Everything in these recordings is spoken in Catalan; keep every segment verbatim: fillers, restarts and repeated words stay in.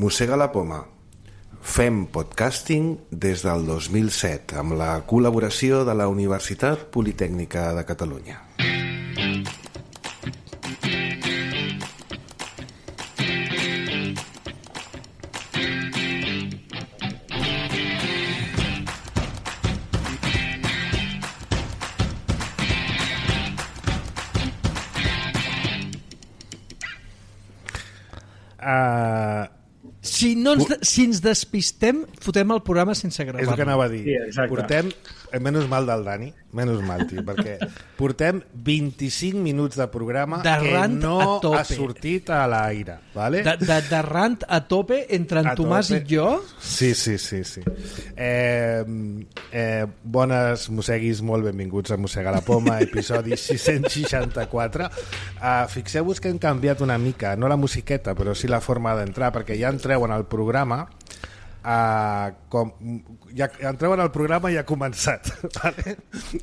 Mossega la poma. Fem podcasting des del dos mil set amb la col·laboració de la Universitat Politècnica de Catalunya. Uh, si, no ens de, si ens despistem, fotem el programa sense gravar. És el que anava a dir. Sí, portem, menys mal del Dani, menys mal, tio, perquè portem vint-i-cinc minuts de programa de que no ha tope. sortit a l'aire. Vale? De, de, de rant a tope entre en a Tomàs tope. I jo. Sí, sí, sí. sí. Eh, eh, bones mosseguis, molt benvinguts a Mossegar la Poma, episodi sis-cents seixanta-quatre. Uh, fixeu-vos que hem canviat una mica, no la musiqueta, però sí la forma d'entrar, perquè ja entreu en el programa Uh, com, ja, ja entreu en el programa i ja ha començat vale?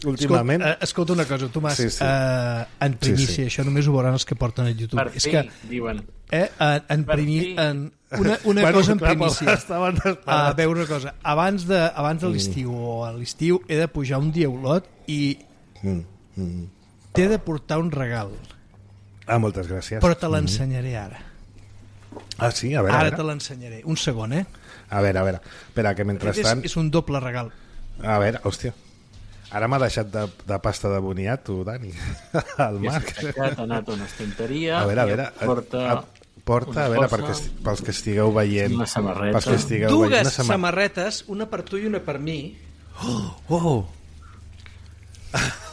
Últimament. Escolta, uh, escolta una cosa, Tomàs, sí, sí. Uh, en primícia, sí, sí. Això només ho veuran els que porten a YouTube. Per és fi, que, diuen. Eh, en, en primi, en una, una bueno, cosa en clar, primícia. A uh, veure una cosa, abans de, abans de l'estiu mm. o a l'estiu he de pujar un dia a Olot i mm. Mm. t'he de portar un regal. Ah, moltes gràcies. Però te l'ensenyaré ara. Ah, sí? A veure, ara a veure. te l'ensenyaré. Un segon, eh? A veure, a veure. Espera, que mentrestant... És, és un doble regal. A veure, hòstia. Ara m'ha deixat de, de pasta de boniato, Dani. El Marc. Ja t'ha anat una estanteria. A veure, a veure. Porta, a, porta a veure, perquè, pels que estigueu veient... Una samarreta. Pels que estigueu Dues veient, una samar... samarretes, una per tu i una per mi. Oh! oh.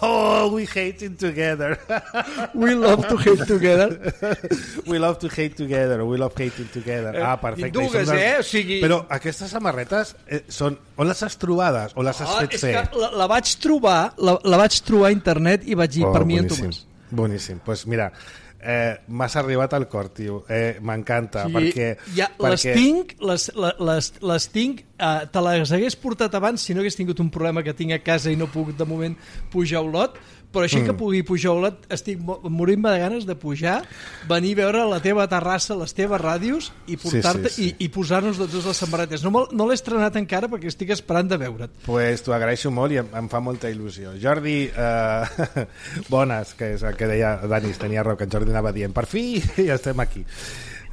Oh, we hating together. We love to hate together. We love to hate together. We love hating together. Ah, perfecte. Dues, eh? O sigui... Però aquestes samarretes eh, són... On les has trobades? O les has oh, fet és fer? Que la, la vaig trobar la, la vaig trobar a internet i vaig dir, oh, per mi en boníssim. Tomàs. Boníssim. Doncs pues mira, eh, m'has arribat al cor, tio. Eh, M'encanta. Sí, perquè, ja, perquè... Les tinc, les, les, les tinc eh, te les hagués portat abans si no hagués tingut un problema que tinc a casa i no puc de moment pujar a Olot, però així mm. que pugui pujar a Olot estic morint-me de ganes de pujar, venir a veure la teva terrassa, les teves ràdios i portar-te sí, sí, sí. i, i posar-nos totes les samarretes. No, no l'he estrenat encara perquè estic esperant de veure't. Pues t'ho agraeixo molt i em, em fa molta il·lusió. Jordi, eh, bones, que és el que deia Dani, tenia raó, que en Jordi anava dient, per fi ja estem aquí.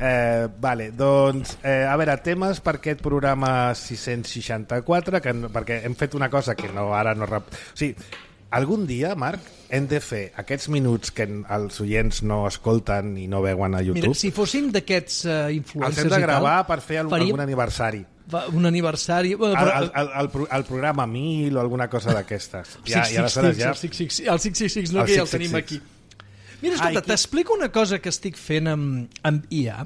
Eh, vale, doncs eh, a veure, temes per aquest programa sis-cents seixanta-quatre, que, perquè hem fet una cosa que no, ara no... Rep... O sigui, algun dia, Marc, hem de fer aquests minuts que els oients no escolten i no veuen a YouTube. Mira, si fóssim d'aquests uh, influencers els hem de gravar tal, per fer algun, faríem... algun aniversari. Un aniversari... Bueno, però... el, el, el, el, el programa mil o alguna cosa d'aquestes. Ja, ja, ja... El sis sis sis, el sis sis sis, no, el que ja el tenim aquí. Mira, escolta, Ai, t'explico una cosa que estic fent amb, amb I A,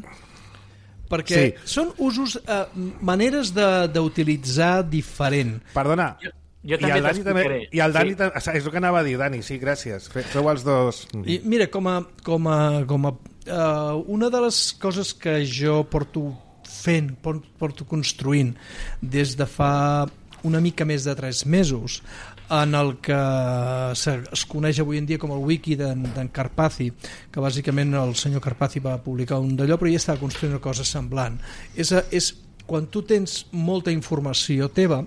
perquè sí. són usos, eh, maneres d'utilitzar diferent. Perdona, jo, jo també t'explicaré. I el Dani, sí. És el que anava a dir, Dani, sí, gràcies. Feu els dos. I mira, com a, com a, com a uh, una de les coses que jo porto fent, porto construint des de fa una mica més de tres mesos, en el que es coneix avui en dia com el wiki d'en Carpathy, que bàsicament el senyor Carpathy va publicar un d'allò, però ja estava construint una cosa semblant. És, és quan tu tens molta informació teva,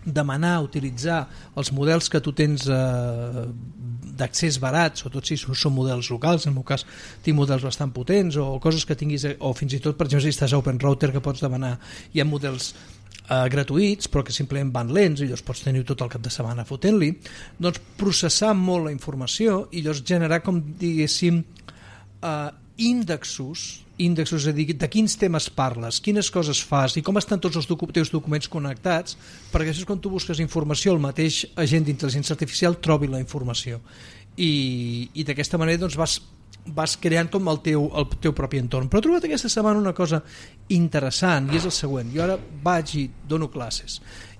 demanar, utilitzar els models que tu tens eh, d'accés barat, sobretot si són models locals, en el meu cas tinc models bastant potents, o coses que tinguis, o fins i tot, per exemple, si estàs a OpenRouter, que pots demanar, hi ha models Uh, gratuïts, però que simplement van lents i llavors pots tenir tot el cap de setmana fotent-li, doncs processar molt la informació i llavors generar, com diguéssim, uh, índexos, índexos, és a dir, de quins temes parles, quines coses fas i com estan tots els docu teus documents connectats, perquè això és quan tu busques informació, el mateix agent d'intel·ligència artificial trobi la informació. I, i d'aquesta manera doncs vas vas creant com el teu, el teu propi entorn. Però he trobat aquesta setmana una cosa interessant i és el següent. Jo ara vaig i dono classes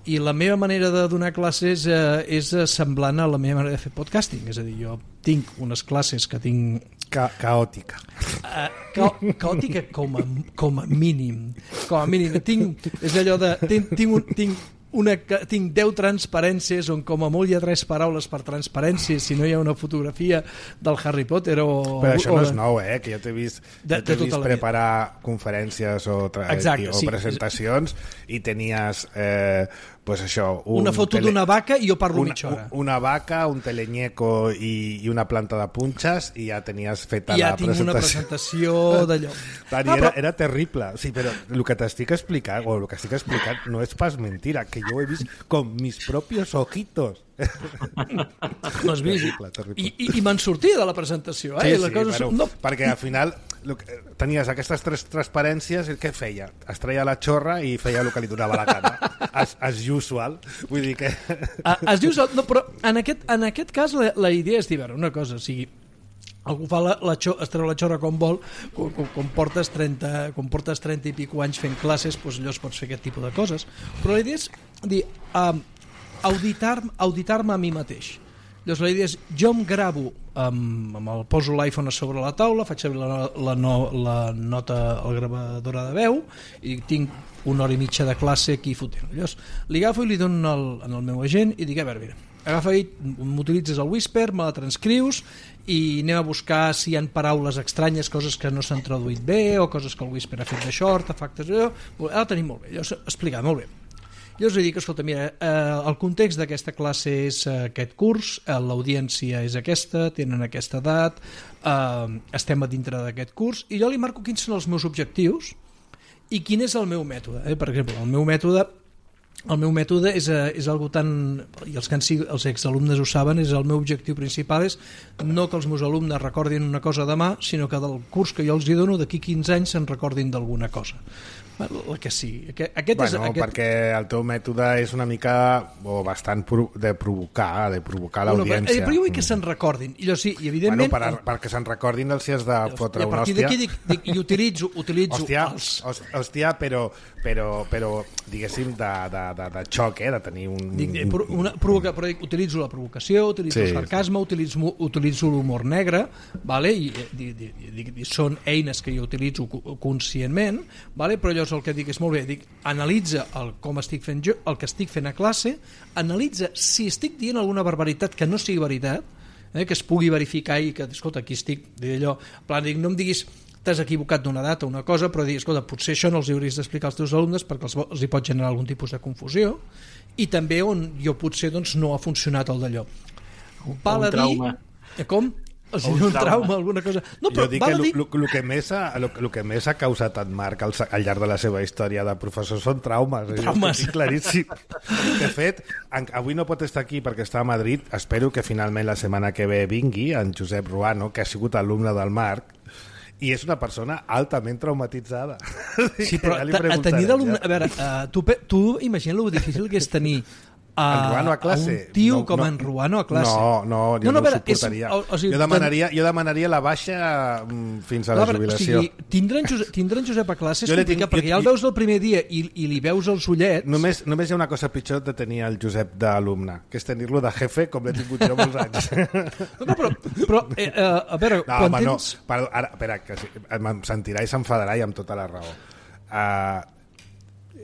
i la meva manera de donar classes eh, és semblant a la meva manera de fer podcasting, és a dir, jo tinc unes classes que tinc... Ca caòtica. Uh, ca caòtica com a, com a mínim. Com a mínim. Tinc, és allò de... Tinc, tinc, un, tinc una, tinc deu transparències on com a molt hi ha tres paraules per transparència si no hi ha una fotografia del Harry Potter o... Però això o, no és nou, eh? Que jo t'he vist, de, jo t'he de vist preparar conferències o, tra... Exacte, o sí. presentacions i tenies... Eh, pues això, un una foto tele... d'una vaca i jo parlo una, mitja hora. Una vaca, un teleñeco i, i una planta de punxes i ja tenies feta I ja la tinc presentació. una presentació d'allò. Dani, Ah, era, però... era terrible. Sí, però el que t'estic explicant, o el que estic explicant no és pas mentira, que jo ho he vist con mis propios ojitos. No has vist? Terrible, terrible. I, i, i me'n sortia de la presentació. Eh? Sí, la sí, cosa... però, no. perquè al final lo que, tenies aquestes tres transparències i què feia? Es treia la xorra i feia el que li donava la gana. As, as usual. Vull dir que... Ah, es diu... No, però en aquest, en aquest cas la, la idea és dir, veure, una cosa, o sigui, algú fa la, la xo, es treu la xorra com vol, quan, quan, quan, portes trenta, quan portes trenta i pico anys fent classes, doncs llavors pots fer aquest tipus de coses. Però la idea és dir, um, auditar-me auditar a mi mateix. Llavors la idea és, jo em gravo, amb, amb el, poso l'iPhone a sobre la taula, faig servir la, la, no, la nota, la gravadora de veu, i tinc una hora i mitja de classe aquí fotent. Llavors li agafo i li dono el, en el meu agent i dic, a veure, mira, agafa i m'utilitzes el Whisper, me la transcrius i anem a buscar si hi ha paraules estranyes, coses que no s'han traduït bé o coses que el Whisper ha fet de short, efectes, allò, ara ho tenim molt bé. Llavors, explicar, molt bé. Llavors li dic, escolta, mira, eh, el context d'aquesta classe és eh, aquest curs, eh, l'audiència és aquesta, tenen aquesta edat, eh, estem a dintre d'aquest curs, i jo li marco quins són els meus objectius i quin és el meu mètode. Eh? Per exemple, el meu mètode el meu mètode és, és algo tan, i els, que han sigut, els exalumnes ho saben, és el meu objectiu principal és no que els meus alumnes recordin una cosa demà, sinó que del curs que jo els hi dono d'aquí quinze anys se'n recordin d'alguna cosa. El que sí. Aquest, aquest bueno, és, aquest... perquè el teu mètode és una mica o bastant pro, de provocar de provocar l'audiència. Bueno, però jo vull que se'n recordin. I jo sí, i evidentment... Bueno, per, perquè se'n recordin els si has de fotre una hòstia. I a partir d'aquí dic, dic, i utilitzo, utilitzo hòstia, els... hòstia, però, però, però diguéssim de, de, de, de xoc, eh? De tenir un... Dic, una, provoca, però dic, utilitzo la provocació, utilitzo sí. el sarcasme, utilitzo, utilitzo l'humor negre, vale? I dic, dic, dic, són eines que jo utilitzo conscientment, vale? Però llavors el que dic és molt bé, dic, analitza el, com estic fent jo, el que estic fent a classe, analitza si estic dient alguna barbaritat que no sigui veritat, eh, que es pugui verificar i que, escolta, aquí estic, d'allò, plan, dic, no em diguis t'has equivocat d'una data o una cosa, però dir, escolta, potser això no els hauries d'explicar als teus alumnes perquè els, els hi pot generar algun tipus de confusió, i també on jo potser doncs, no ha funcionat el d'allò. Val a dir... Com? O sigui, un trauma, trauma, alguna cosa... No, però jo dic que el dir... que, més ha, lo, lo que més ha causat en Marc al, al llarg de la seva història de professor són traumes. Traumes. Eh? Claríssim. De fet, en, avui no pot estar aquí perquè està a Madrid. Espero que finalment la setmana que ve vingui en Josep Ruano, que ha sigut alumne del Marc, i és una persona altament traumatitzada. Sí, però ja tenir d'alumne... A veure, uh, tu, tu imagina lo difícil que és tenir a, Ruano a, classe. a un tio no, com no, en Ruano a classe. No, no, jo no, no, no ho suportaria. És, o, o sigui, jo, demanaria, jo demanaria la baixa fins a la, la jubilació. O sigui, tindre, en Josep, tindre en Josep a classe és jo complicat, tinc, perquè ja el veus el primer dia i, i li veus els ullets... Només, només hi ha una cosa pitjor de tenir el Josep d'alumne, que és tenir-lo de jefe, com l'he tingut jo molts anys. No, però, però eh, a veure, no, quan home, tens... No, perdó, ara, espera, que em sentirà i s'enfadarà i amb tota la raó. Uh,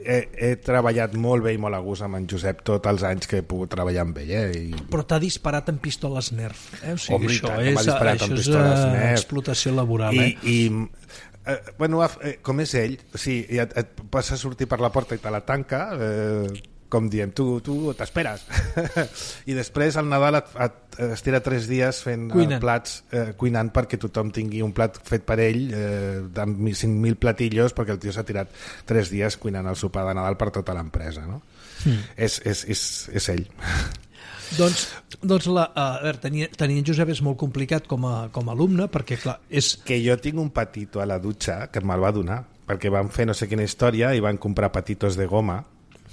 He, he treballat molt bé i molt a gust amb en Josep tots els anys que he pogut treballar amb ell. Eh? I... Però t'ha disparat amb pistoles Nerf. Eh? O sigui, Home, això tant, és, això és uh, explotació laboral. I, eh? i, eh, bueno, eh, com és ell, sí, et, et vas a sortir per la porta i te la tanca, eh, com diem, tu, tu t'esperes. I després al Nadal et, et estira tres dies fent cuinant. plats, eh, cuinant perquè tothom tingui un plat fet per ell, eh, amb cinc mil platillos, perquè el tio s'ha tirat tres dies cuinant el sopar de Nadal per tota l'empresa, no? Mm. És, és, és, és ell. Doncs, doncs la, a veure, tenir, tenir en Josep és molt complicat com a, com a alumne, perquè clar, és... Que jo tinc un patito a la dutxa que me'l va donar, perquè van fer no sé quina història i van comprar patitos de goma,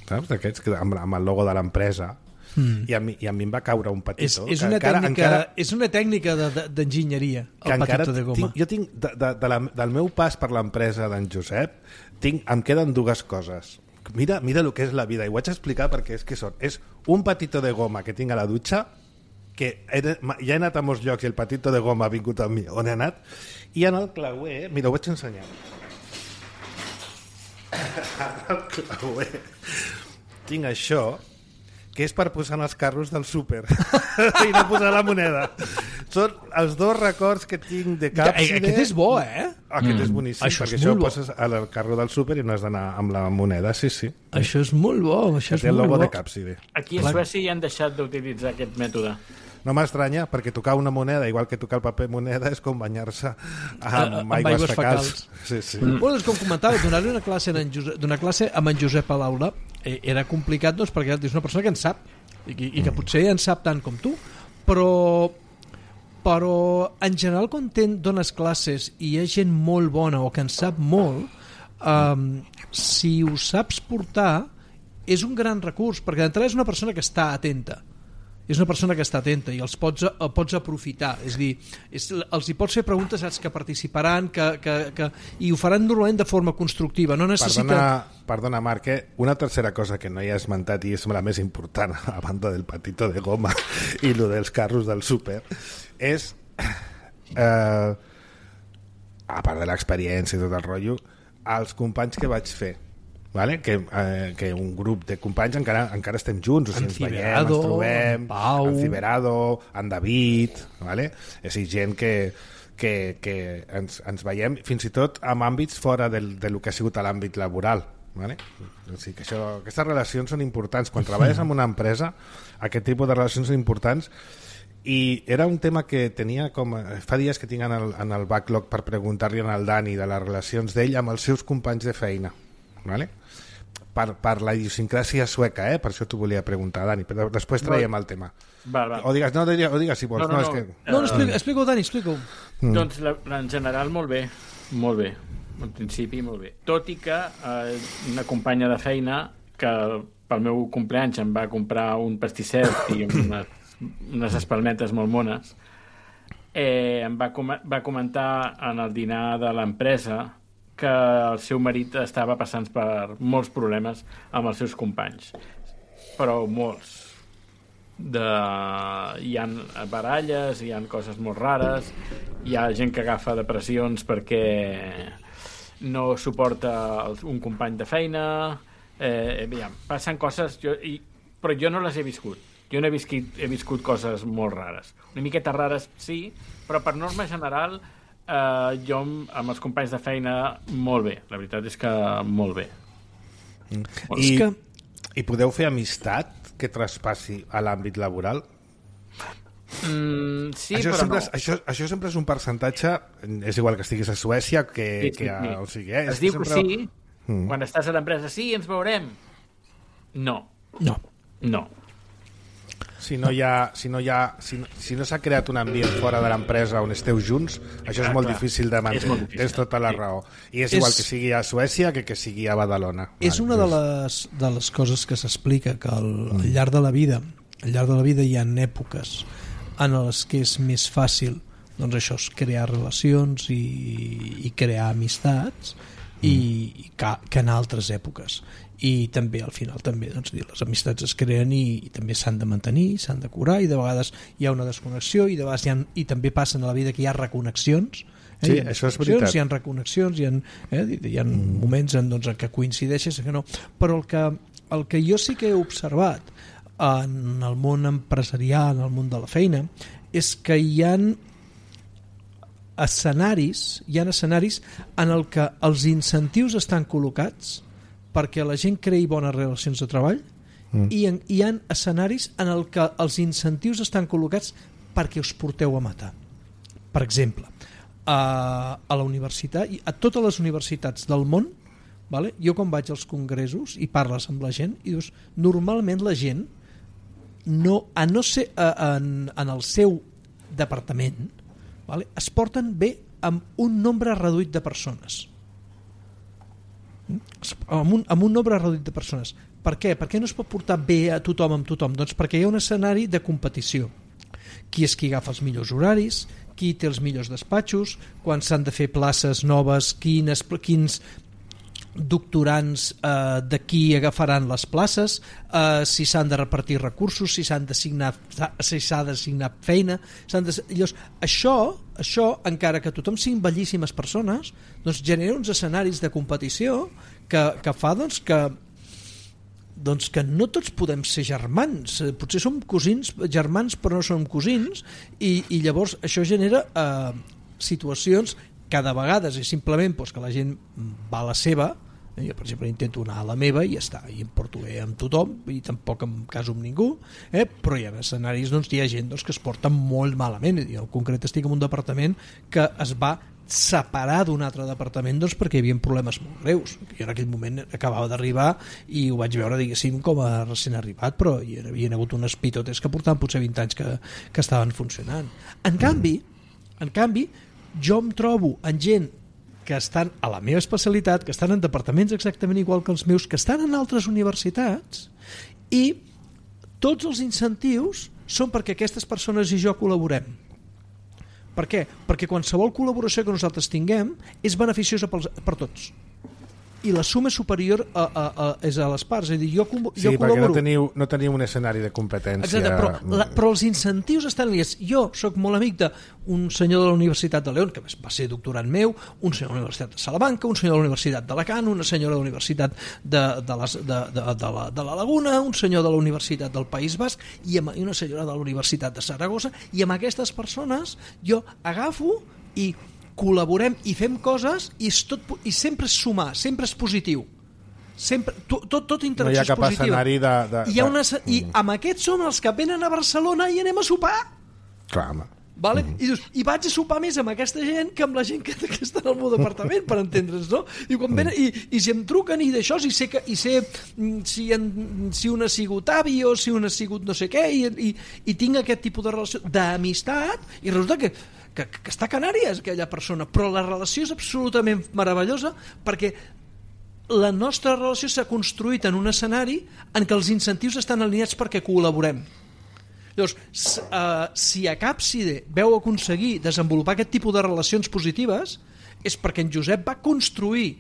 saps? D'aquests amb, amb el logo de l'empresa, mm. I, a mi, i a mi em va caure un patito. És, és, una, encara, tècnica, encara, és una tècnica d'enginyeria, de, de, el patito de goma. Tinc, jo tinc, de, de, de la, del meu pas per l'empresa d'en Josep, tinc, em queden dues coses. Mira, mira el que és la vida, i ho vaig explicar perquè és que són. És un patito de goma que tinc a la dutxa, que he, ja he anat a molts llocs i el patito de goma ha vingut amb mi. On he anat? I en el clauer, mira, ho vaig ensenyar. El clauer. tinc això, que és per posar en els carros del súper i no posar la moneda. Són els dos records que tinc de Càpside. Aquest és bo, eh? Aquest mm. és boníssim, això perquè és això ho bo. poses al carro del súper i no has d'anar amb la moneda, sí, sí. Això és molt bo, això és té el molt logo bo. de Càpside. Aquí a Suècia ja han deixat d'utilitzar aquest mètode. No m'estranya, perquè tocar una moneda, igual que tocar el paper moneda, és com banyar-se amb, amb aigües, aigües fecals. fecals. Sí, sí. Mm. Bueno, és com comentava, donar-li una classe, en Josep, donar classe amb en Josep a l'aula eh, era complicat, doncs, perquè és una persona que en sap i, i que potser en sap tant com tu, però però en general quan ten, dones classes i hi ha gent molt bona o que en sap molt, um, si ho saps portar és un gran recurs, perquè d'entrada és una persona que està atenta, és una persona que està atenta i els pots, el pots aprofitar, és dir, és, els hi pots fer preguntes, saps, que participaran, que, que, que, i ho faran normalment de forma constructiva, no necessita... Perdona, perdona Marc, eh? Una tercera cosa que no hi ha esmentat i és la més important, a banda del patito de goma i lo dels carros del súper, és, eh, a part de l'experiència i tot el rotllo, els companys que vaig fer, vale? que, eh, que un grup de companys encara, encara estem junts, o sigui, ens veiem, ens trobem, en Pau, en Ciberado, en David, vale? És a dir, gent que, que, que ens, ens veiem fins i tot en àmbits fora del, del que ha sigut l'àmbit laboral, vale? O sigui, que això, aquestes relacions són importants. Quan treballes en una empresa, aquest tipus de relacions són importants. I era un tema que tenia com... Fa dies que tinc en el, en el backlog per preguntar-li al Dani de les relacions d'ell amb els seus companys de feina, vale? Per, per la idiosincràsia sueca, eh? Per això t'ho volia preguntar, Dani, però després traiem el tema. Val, val. O digues, no, o digues si vols. No, no, no, no. és que... No, no, explica, explica-ho, Dani, explica-ho. Mm. Doncs la, la, en general molt bé, molt bé, en principi molt bé. Tot i que eh, una companya de feina que pel meu compleanys em va comprar un pastisset i unes, unes espalmetes molt mones, eh, em va, com va comentar en el dinar de l'empresa que el seu marit estava passant per molts problemes amb els seus companys, però molts. De... Hi ha baralles, hi ha coses molt rares, hi ha gent que agafa depressions perquè no suporta un company de feina, eh, ja, passen coses, jo, i, però jo no les he viscut. Jo no he viscut, he viscut coses molt rares. Una miqueta rares, sí, però per norma general Uh, jo amb els companys de feina molt bé, la veritat és que molt bé. Mm. Molt I, que... I podeu fer amistat que traspassi a l'àmbit laboral? Mm, sí, això però sempre no. És, això, això sempre és un percentatge, és igual que estiguis a Suècia que, sí, sí, que a, sí. o sigui, eh, es diu sempre... que sí, mm. quan estàs a l'empresa, sí, ens veurem. No. No. No. Si no hi ha, si no hi ha, si no, si no s'ha creat un ambient fora de l'empresa on esteu junts, això és Ah, molt clar. difícil de mantenir. molt difícil. Tens tota la Sí. raó. I és igual És- que sigui a Suècia que que sigui a Badalona. És una de les, de les coses que s'explica, que al, al llarg de la vida al llarg de la vida hi ha èpoques en les que és més fàcil, doncs això, és crear relacions i, i crear amistats i, i que, que en altres èpoques. I també al final també doncs, dir, les amistats es creen i, i també s'han de mantenir, s'han de curar, i de vegades hi ha una desconnexió i de vegades hi ha, i també passen a la vida que hi ha reconnexions. Eh? Sí, Hi ha això és desconnexions, veritat. hi ha reconnexions, hi ha, eh? hi ha mm. moments en, doncs, en què coincideixes i que no, però el que, el que jo sí que he observat en el món empresarial, en el món de la feina, és que hi ha escenaris hi ha escenaris en el que els incentius estan col·locats perquè la gent creï bones relacions de treball mm. i en, hi ha escenaris en el que els incentius estan col·locats perquè us porteu a matar. Per exemple, a, a la universitat, a totes les universitats del món, vale? Jo quan vaig als congressos i parles amb la gent i dius, normalment la gent no, a no ser a, en, en el seu departament, vale? Es porten bé amb un nombre reduït de persones, amb un, amb un nombre reduït de persones. Per què? Per què no es pot portar bé a tothom amb tothom? Doncs perquè hi ha un escenari de competició. Qui és qui agafa els millors horaris, qui té els millors despatxos, quan s'han de fer places noves, quines, quins doctorants eh, de qui agafaran les places, eh, si s'han de repartir recursos, si s'han d'assignar si s'ha d'assignar feina, s'han de... Llavors, això, això, encara que tothom siguin bellíssimes persones, doncs genera uns escenaris de competició que, que fa doncs, que doncs que no tots podem ser germans, potser som cosins, germans però no som cosins, i, i llavors això genera eh, situacions que de vegades és simplement doncs, que la gent va a la seva. Jo, per exemple, intento anar a la meva i ja està, i em porto bé amb tothom i tampoc em caso amb ningú, eh? Però hi ha escenaris, doncs, hi ha gent doncs, que es porta molt malament. Jo en concret estic en un departament que es va separar d'un altre departament doncs, perquè hi havia problemes molt greus. Jo en aquell moment acabava d'arribar i ho vaig veure, diguéssim, com a recent arribat, però hi havia hagut unes pitotes que portaven potser vint anys que, que estaven funcionant. En canvi, en canvi, jo em trobo en gent que estan a la meva especialitat, que estan en departaments exactament igual que els meus, que estan en altres universitats, i tots els incentius són perquè aquestes persones i jo col·laborem. Per què? Perquè qualsevol col·laboració que nosaltres tinguem és beneficiosa per, per tots. I la suma superior a, a, a, és a les parts. És a dir, jo, jo sí, col·laboro... perquè no teniu, no teniu un escenari de competència. Exacte, però, la, però els incentius estan liats. Jo sóc molt amic d'un senyor de la Universitat de León, que va ser doctorant meu, un senyor de la Universitat de Salamanca, un senyor de la Universitat d'Alacant, una senyora de la Universitat de, de, les, de, de, de, la, de la Laguna, un senyor de la Universitat del País Basc i, amb, i una senyora de la Universitat de Saragossa, i amb aquestes persones jo agafo i col·laborem i fem coses i, és tot, i sempre és sumar, sempre és positiu, sempre, tot, tot, tot interacció és positiva. No hi ha cap escenari de... de, I, una, de... I amb aquests són els que venen a Barcelona i anem a sopar. Clar, home. Vale? Mm-hmm. I dius, i vaig a sopar més amb aquesta gent que amb la gent que, que està en el meu departament, per entendre's, no? I, quan venen, i, i si em truquen i d'això, i sé, que, i sé si, en, si un ha sigut avi o si un ha sigut no sé què, i, i, i tinc aquest tipus de relació d'amistat, i resulta que Que, que està a Canàries aquella persona, però la relació és absolutament meravellosa perquè la nostra relació s'ha construït en un escenari en què els incentius estan alineats perquè col·laborem. Llavors, uh, si a Capside veu aconseguir desenvolupar aquest tipus de relacions positives és perquè en Josep va construir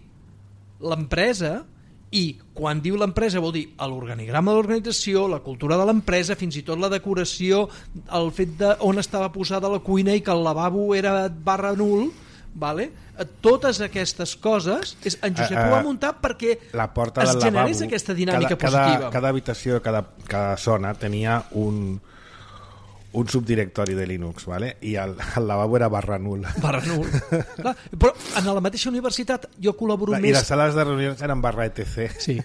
l'empresa. I quan diu l'empresa vol dir l'organigrama de l'organització, la cultura de l'empresa, fins i tot la decoració, el fet de on estava posada la cuina i que el lavabo era barra nul, vale? Totes aquestes coses és, en Josep ho va muntar perquè la porta es del generés lavabo, aquesta dinàmica cada, positiva. Cada, cada habitació, cada, cada zona tenia un un subdirectori de Linux, ¿vale? I el, el lavabo era barra nul. Barra nul. Clar, però en la mateixa universitat jo col·laboro Clar, més... I les sales de reunions eren barra etc. Sí.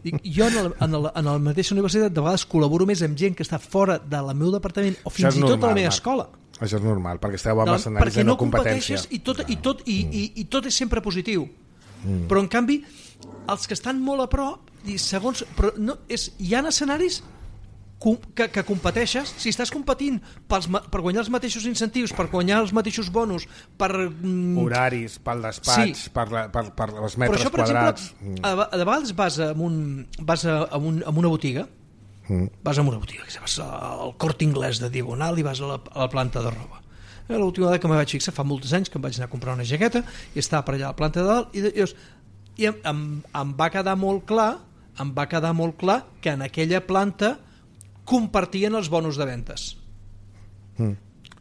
I jo en, el, en, el, en la mateixa universitat de vegades col·laboro més amb gent que està fora del meu departament o fins i tot de la meva escola. Això és normal, perquè esteu amb escenaris de no competència. I tot, i, tot, i, i, i tot és sempre positiu. Mm. Però en canvi, els que estan molt a prop, i segons, però no, és, hi ha escenaris que, que competeixes, si estàs competint pels, per guanyar els mateixos incentius, per guanyar els mateixos bonus, per... Mm, horaris, pel despatx, sí. per, la, per, per els metres això, per quadrats... Exemple, a, a vegades vas a, un, vas a, a, un, a una botiga, mm. vas a una botiga, vas al Corte Inglés de Diagonal i vas a la, a la planta de roba. L'última vegada que me vaig fixar, fa molts anys que em vaig anar a comprar una jaqueta i estava per allà a la planta de dalt i, i, i em, em, em va quedar molt clar em va quedar molt clar que en aquella planta compartien els bonus de ventes. Mm.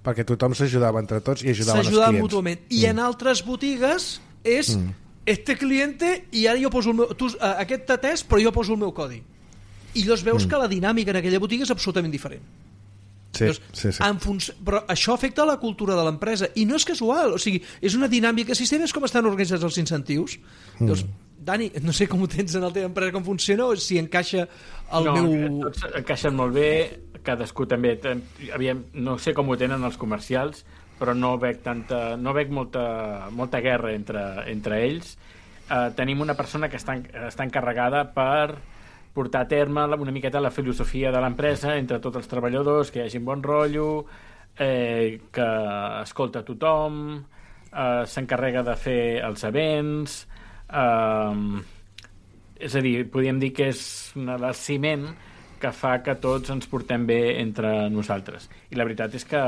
Perquè tothom s'ajudava entre tots i ajudaven els clients. Mútuament. I mm. en altres botigues és mm. este cliente i ara jo poso el meu... Tu, aquest t'atès, però jo poso el meu codi. I llavors veus mm. que la dinàmica en aquella botiga és absolutament diferent. Sí, llavors, sí, sí. En func... Però això afecta la cultura de l'empresa i no és casual, o sigui, és una dinàmica sistema, és com estan organitzats els incentius. Mm. Llavors, Dani, no sé com ho tens en la teva empresa, com funciona, o si encaixa el no, meu... No, tots encaixen molt bé, cadascú també... Aviam, no sé com ho tenen els comercials, però no veig, tanta, no veig molta, molta guerra entre, entre ells. Uh, tenim una persona que està, està encarregada per portar a terme una miqueta la filosofia de l'empresa entre tots els treballadors, que hi hagi un bon rotllo, eh, que escolta tothom, eh, s'encarrega de fer els events... Uh, és a dir, podríem dir que és un ciment que fa que tots ens portem bé entre nosaltres i la veritat és que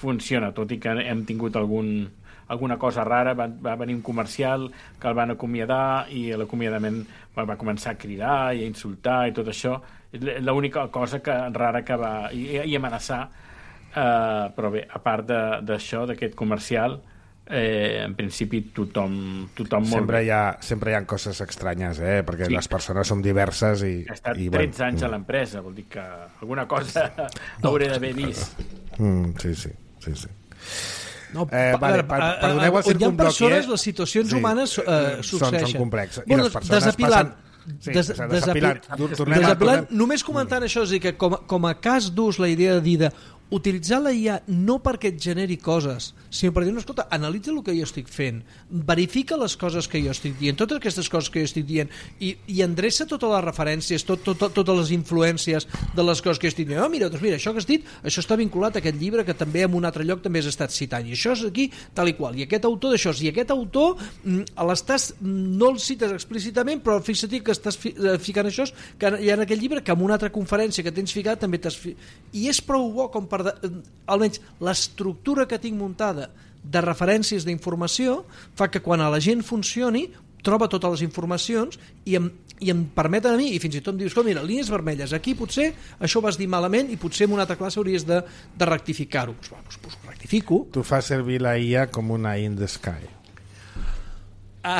funciona, tot i que hem tingut algun, alguna cosa rara. Va, va venir un comercial que el van acomiadar i a l'acomiadament va, va començar a cridar i a insultar i tot això, és l'única cosa que, rara que va i, i amenaçar, uh, però bé, a part d'això, d'aquest comercial, eh, en principi tothom, tothom molt sempre bé. hi, ha, sempre hi ha coses estranyes, eh? Perquè sí. les persones són diverses i... Ha estat i, tretze bueno, anys a l'empresa, vol dir que alguna cosa hauré d'haver vist. Mm, sí, sí, sí, sí. No, eh, vale, per, perdoneu el on hi ha persones, eh? les situacions sí, humanes eh, succeeixen. Són, són complexes. Bueno, I les persones desapilant, passen... Sí, des, desapilant. Desapilant, desapilant només comentant això, és a dir, que com, com a cas d'ús la idea de dir de utilitzar la I A no perquè et generi coses, sinó per dir, no, escolta, analitza el que jo estic fent, verifica les coses que jo estic dient, totes aquestes coses que jo estic dient, i, i endreça totes les referències, tot, tot, totes les influències de les coses que jo estic dient. Oh, mira, doncs mira, això que has dit, això està vinculat a aquest llibre que també en un altre lloc també has estat citant, i això és aquí, tal i qual, i aquest autor d'això, i aquest autor l'estàs, no el cites explícitament, però fixa't que estàs fi, ficant això, que hi ha en aquell llibre que en una altra conferència que tens ficat també t'has fi... i és prou bo com per de, almenys l'estructura que tinc muntada de referències d'informació fa que quan a la gent funcioni troba totes les informacions i em, i em permet a mi, i fins i tot em dius, mira, línies vermelles, aquí potser això ho vas dir malament i potser en una altra classe hauries de, de rectificar-ho. Pues, bueno, pues, pues rectifico. Tu fas servir la I A com una in the sky. Ah.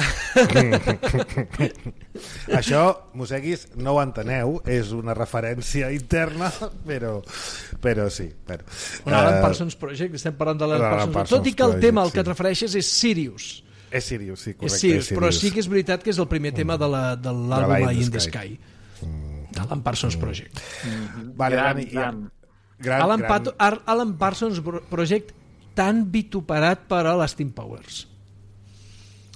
Això, Museguis, no ho enteneu, és una referència interna, però, però sí. Però, L'Alan uh, Parsons Project, estem parlant de l'Alan Parsons, Parsons tot i que el Project, tema al sí. que et refereixes és Sirius. És Sirius, sí, correcte. És Sirius, és Sirius. però sí que és veritat que és el primer tema de l'àlbum de In, In the the Sky, Sky. d'Alan Parsons Project. Mm-hmm. Vale, gran, Dani, gran. gran, Alan, gran... Pato, Ar, Alan Parsons Project tan vituperat per a l'Astin Powers.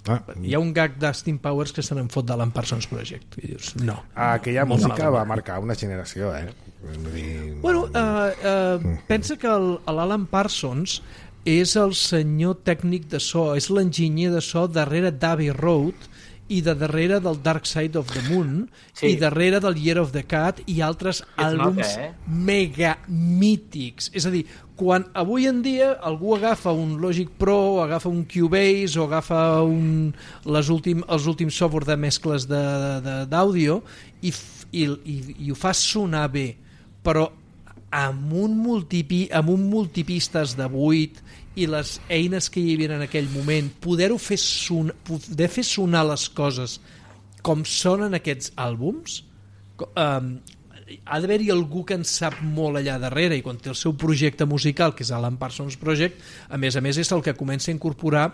Ah, Hi ha un gag d'Astin Powers que se n'en fot d'Alan Parsons Project. I dius, no. Aquella Molt música malament. va marcar una generació, eh? Vull dir... Bueno, uh, uh, pensa que l'Alan Parsons és el senyor tècnic de so, és l'enginyer de so darrere d'Abbey Road i de darrere del Dark Side of the Moon sí. i darrere del Year of the Cat i altres àlbums nota, eh? mega mítics. És a dir, quan avui en dia algú agafa un Logic Pro, agafa un Cubase o agafa un, les últim, els últims software de mescles d'àudio i, i, i, i ho fa sonar bé, però amb un, multipi, amb un multipistes de vuit i les eines que hi havia en aquell moment, poder-ho fer, son, poder fer sonar les coses com sonen aquests àlbums, um, ha d'haver-hi algú que en sap molt allà darrere, i quan té el seu projecte musical, que és Alan Parsons Project, a més a més és el que comença a incorporar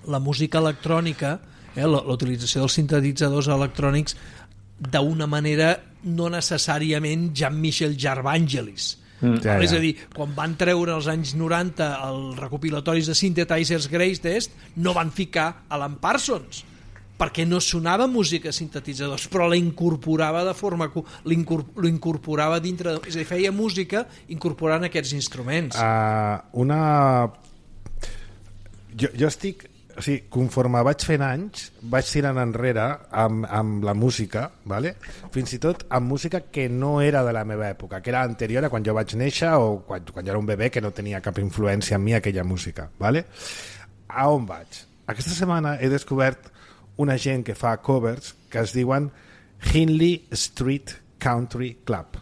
la música electrònica, eh, la, la utilització dels sintetitzadors electrònics d'una manera no necessàriament Jean-Michel Jarvangelis. Mm. Ja, ja. És a dir, quan van treure als anys noranta els recopilatoris de Synthesizers Greatest, no van ficar Alan Parsons, perquè no sonava música de sintetitzadors, però la incorporava de forma... l'incorporava dintre... És a dir, feia música incorporant aquests instruments. Uh, una... Jo, jo estic... O sigui, conforme vaig fent anys, vaig tirant enrere amb, amb la música, ¿vale? Fins i tot amb música que no era de la meva època, que era anterior a quan jo vaig néixer o quan, quan jo era un bebè que no tenia cap influència en mi aquella música. ¿Vale? A on vaig? Aquesta setmana he descobert una gent que fa covers que es diuen Hindley Street Country Club.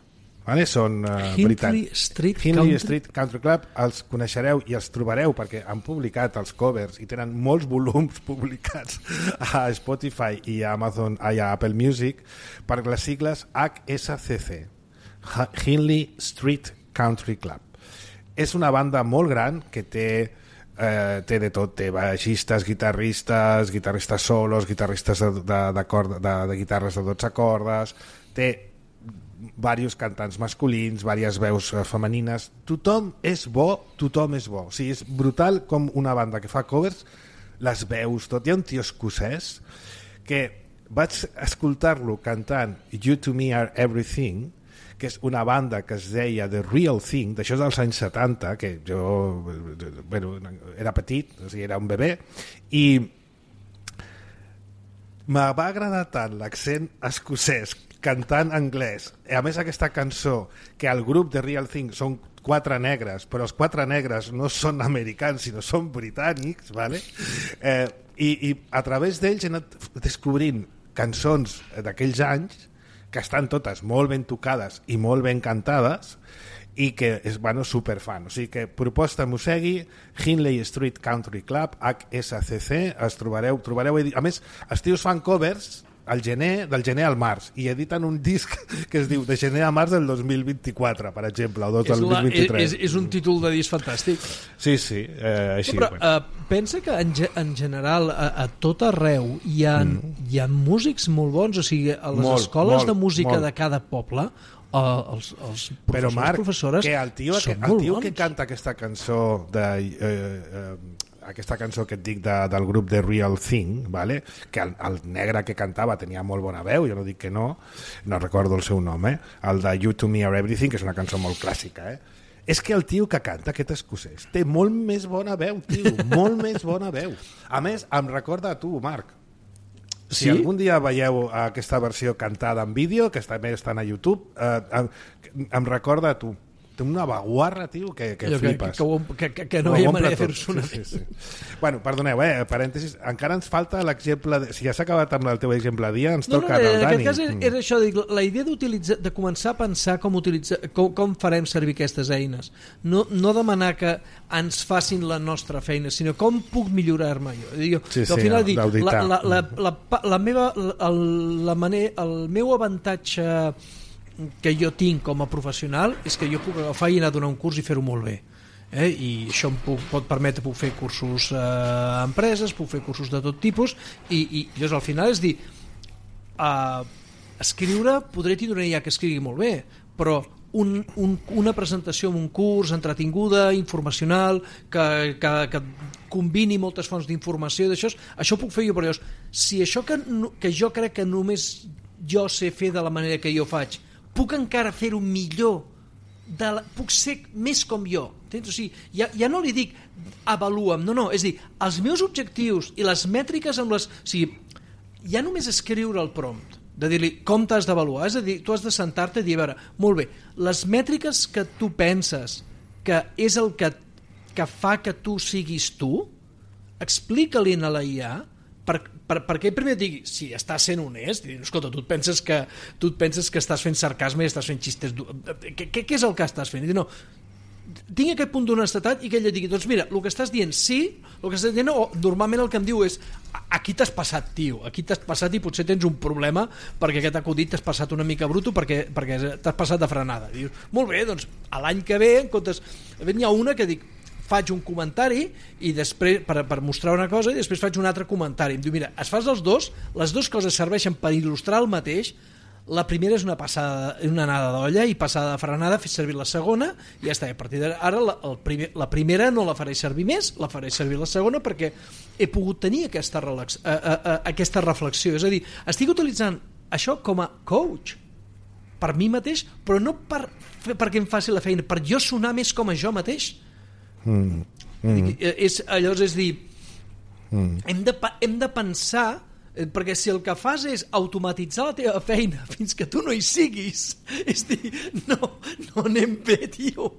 Vale? Són uh, Hindley Street Hindley Country? Street Country Club, els coneixereu i els trobareu perquè han publicat els covers i tenen molts volums publicats a Spotify i a Amazon i a Apple Music per les sigles H S C C, Hindley Street Country Club. És una banda molt gran que té Eh, té de tot, té baixistes, guitarristes, guitarristes solos, guitarristes de, de, de, corda, de, de guitarres de dotze cordes, té diversos cantants masculins, diverses veus femenines, tothom és bo, tothom és bo, o sigui, és brutal com una banda que fa covers, les veus, tot. Hi ha un tio escocès que vaig escoltar-lo cantant You to Me Are Everything, que és una banda que es deia The Real Thing, d'això dels anys setanta, que jo bueno, era petit, o sigui, era un bebè, i me va agradar tant l'accent escocès cantant anglès, i a més aquesta cançó, que el grup The Real Thing són quatre negres, però els quatre negres no són americans, sinó són britànics, ¿vale? eh, i, i a través d'ells he anat descobrint cançons d'aquells anys que estan totes molt ben tocades i molt ben cantades, i que és, bueno, superfan. O sigui que proposta Mussegui, Hindley Street Country Club, H S C C, es trobareu, trobareu... A més, els tios fan covers al gener, del gener al març, i editen un disc que es diu de gener a març del dos mil vint-i-quatre, per exemple, o del dos mil vint-i-tres. És, és un títol de disc fantàstic. Sí, sí, eh, així. No, però bueno. uh, pensa que en, en general a, a tot arreu hi ha, mm. hi ha músics molt bons, o sigui, a les molt, escoles molt, de música molt. de cada poble, uh, els, els professors, però Marc, professores que el tio, són que, molt el tio bons. que canta aquesta cançó de... Eh, eh, aquesta cançó que et dic de, del grup The Real Thing, vale? Que el, el negre que cantava tenia molt bona veu, jo no dic que no, no recordo el seu nom, eh? El de You to Me Are Everything, que és una cançó molt clàssica, eh? És que el tio que canta, aquest escocès, té molt més bona veu, tio, molt més bona veu. A més, em recorda a tu, Marc. Si sí? algun dia veieu aquesta versió cantada en vídeo, que també està a YouTube, eh, em, em recorda a tu. Té una vaguarra, tio, que, que flipes. Que, que, que, que no hi ha manera de fer-se una sí, sí, sí. Bueno, perdoneu, eh, parèntesis, encara ens falta l'exemple... De... Si ja s'ha acabat amb el teu exemple dia, ens no, toca no, no, el Dani. En aquest cas era, era això, dic, la idea d'utilitzar, de començar a pensar com, utilitzar, com, com farem servir aquestes eines. No, no demanar que ens facin la nostra feina, sinó com puc millorar-me jo. Dic, sí, sí, al final, dic, la, la, la, la, la, la meva, la, la manera, el meu avantatge que jo tinc com a professional és que jo puc agafar i anar a donar un curs i fer-ho molt bé, eh? I això em puc, pot permetre, puc fer cursos eh, a empreses, puc fer cursos de tot tipus i, i llavors al final és dir uh, escriure, podré tindre ja que escrigui molt bé, però un, un, una presentació en un curs entretinguda, informacional, que, que, que combini moltes fonts d'informació, d'això, això puc fer jo, però llavors, si això que, que jo crec que només jo sé fer de la manera que jo faig puc encara fer-ho millor, de la, puc ser més com jo, entens? O sigui, ja, ja no li dic avalua'm, no, no, és dir, els meus objectius i les mètriques amb les... O sigui, ja només escriure el prompt, de dir-li com t'has d'avaluar, és a dir, tu has de sentar-te i dir, a veure, molt bé, les mètriques que tu penses que és el que, que fa que tu siguis tu, explica-li a la I A per, per, perquè primer et digui, si estàs sent honest, i, escolta, tu et penses que tu et penses que estàs fent sarcasme i estàs fent xistes, què, què és el que estàs fent? I dir, no, tinc aquest punt d'honestedat i que ella digui, doncs mira, el que estàs dient sí, el que estàs dient no, o normalment el que em diu és aquí t'has passat, tio, aquí t'has passat i potser tens un problema perquè aquest acudit t'has passat una mica bruto perquè, perquè t'has passat de frenada. Dius, molt bé, doncs a l'any que ve en comptes, n'hi ha una que dic faig un comentari i després per, per mostrar una cosa i després faig un altre comentari. Em diu, mira, es fas els dos, les dues coses serveixen per il·lustrar el mateix. La primera és una passada, una anada d'olla i passada de frenada, fes servir la segona i ja està. A partir d'ara la, el primer, la primera no la faré servir més, la faré servir la segona perquè he pogut tenir aquesta, relax, uh, uh, uh, aquesta reflexió. És a dir, estic utilitzant això com a coach per mi mateix, però no per, perquè em faci la feina, per jo sonar més com a jo mateix. Mm. Mm. És, llavors és dir mm. hem, de, hem de pensar, perquè si el que fas és automatitzar la teva feina fins que tu no hi siguis, és dir, no, no anem bé, tio.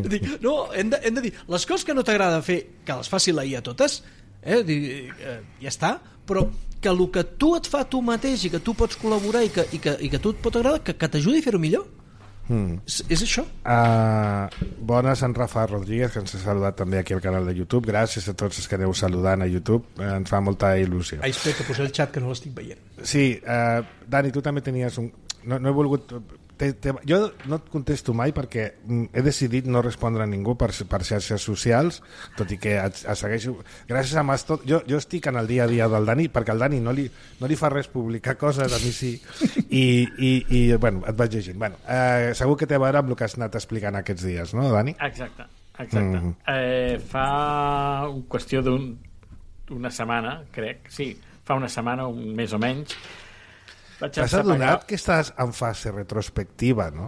Dic, no, hem de, hem de dir les coses que no t'agrada fer, que les faci la I A totes, eh? Dic, eh, ja està, però que el que tu et fa tu mateix i que tu pots col·laborar i que, i que, i que tu et pot agradar, que, que t'ajudi a fer-ho millor. Mm. És, és això. Uh, bones, en Rafa Rodríguez, que ens ha saludat també aquí al canal de YouTube. Gràcies a tots els que aneu saludant a YouTube, uh, ens fa molta il·lusió. Ai, espera, que posaré el xat, que no l'estic veient. Sí, uh, Dani, tu també tenies un... No, no he volgut... Te, te... Jo no et contesto mai perquè he decidit no respondre a ningú per, per xarxes socials, tot i que et, et segueixo... Gràcies a Mastot... Jo, jo estic en el dia a dia del Dani, perquè al Dani no li, no li fa res publicar coses, a mi sí, i, i, i bueno, et vaig llegint. Bueno, eh, segur que té a veure amb el que has anat explicant aquests dies, no, Dani? Exacte, exacte. Mm. Eh, fa qüestió d'una setmana, crec, sí, fa una setmana, un mes o menys, t'has adonat que estàs en fase retrospectiva, no?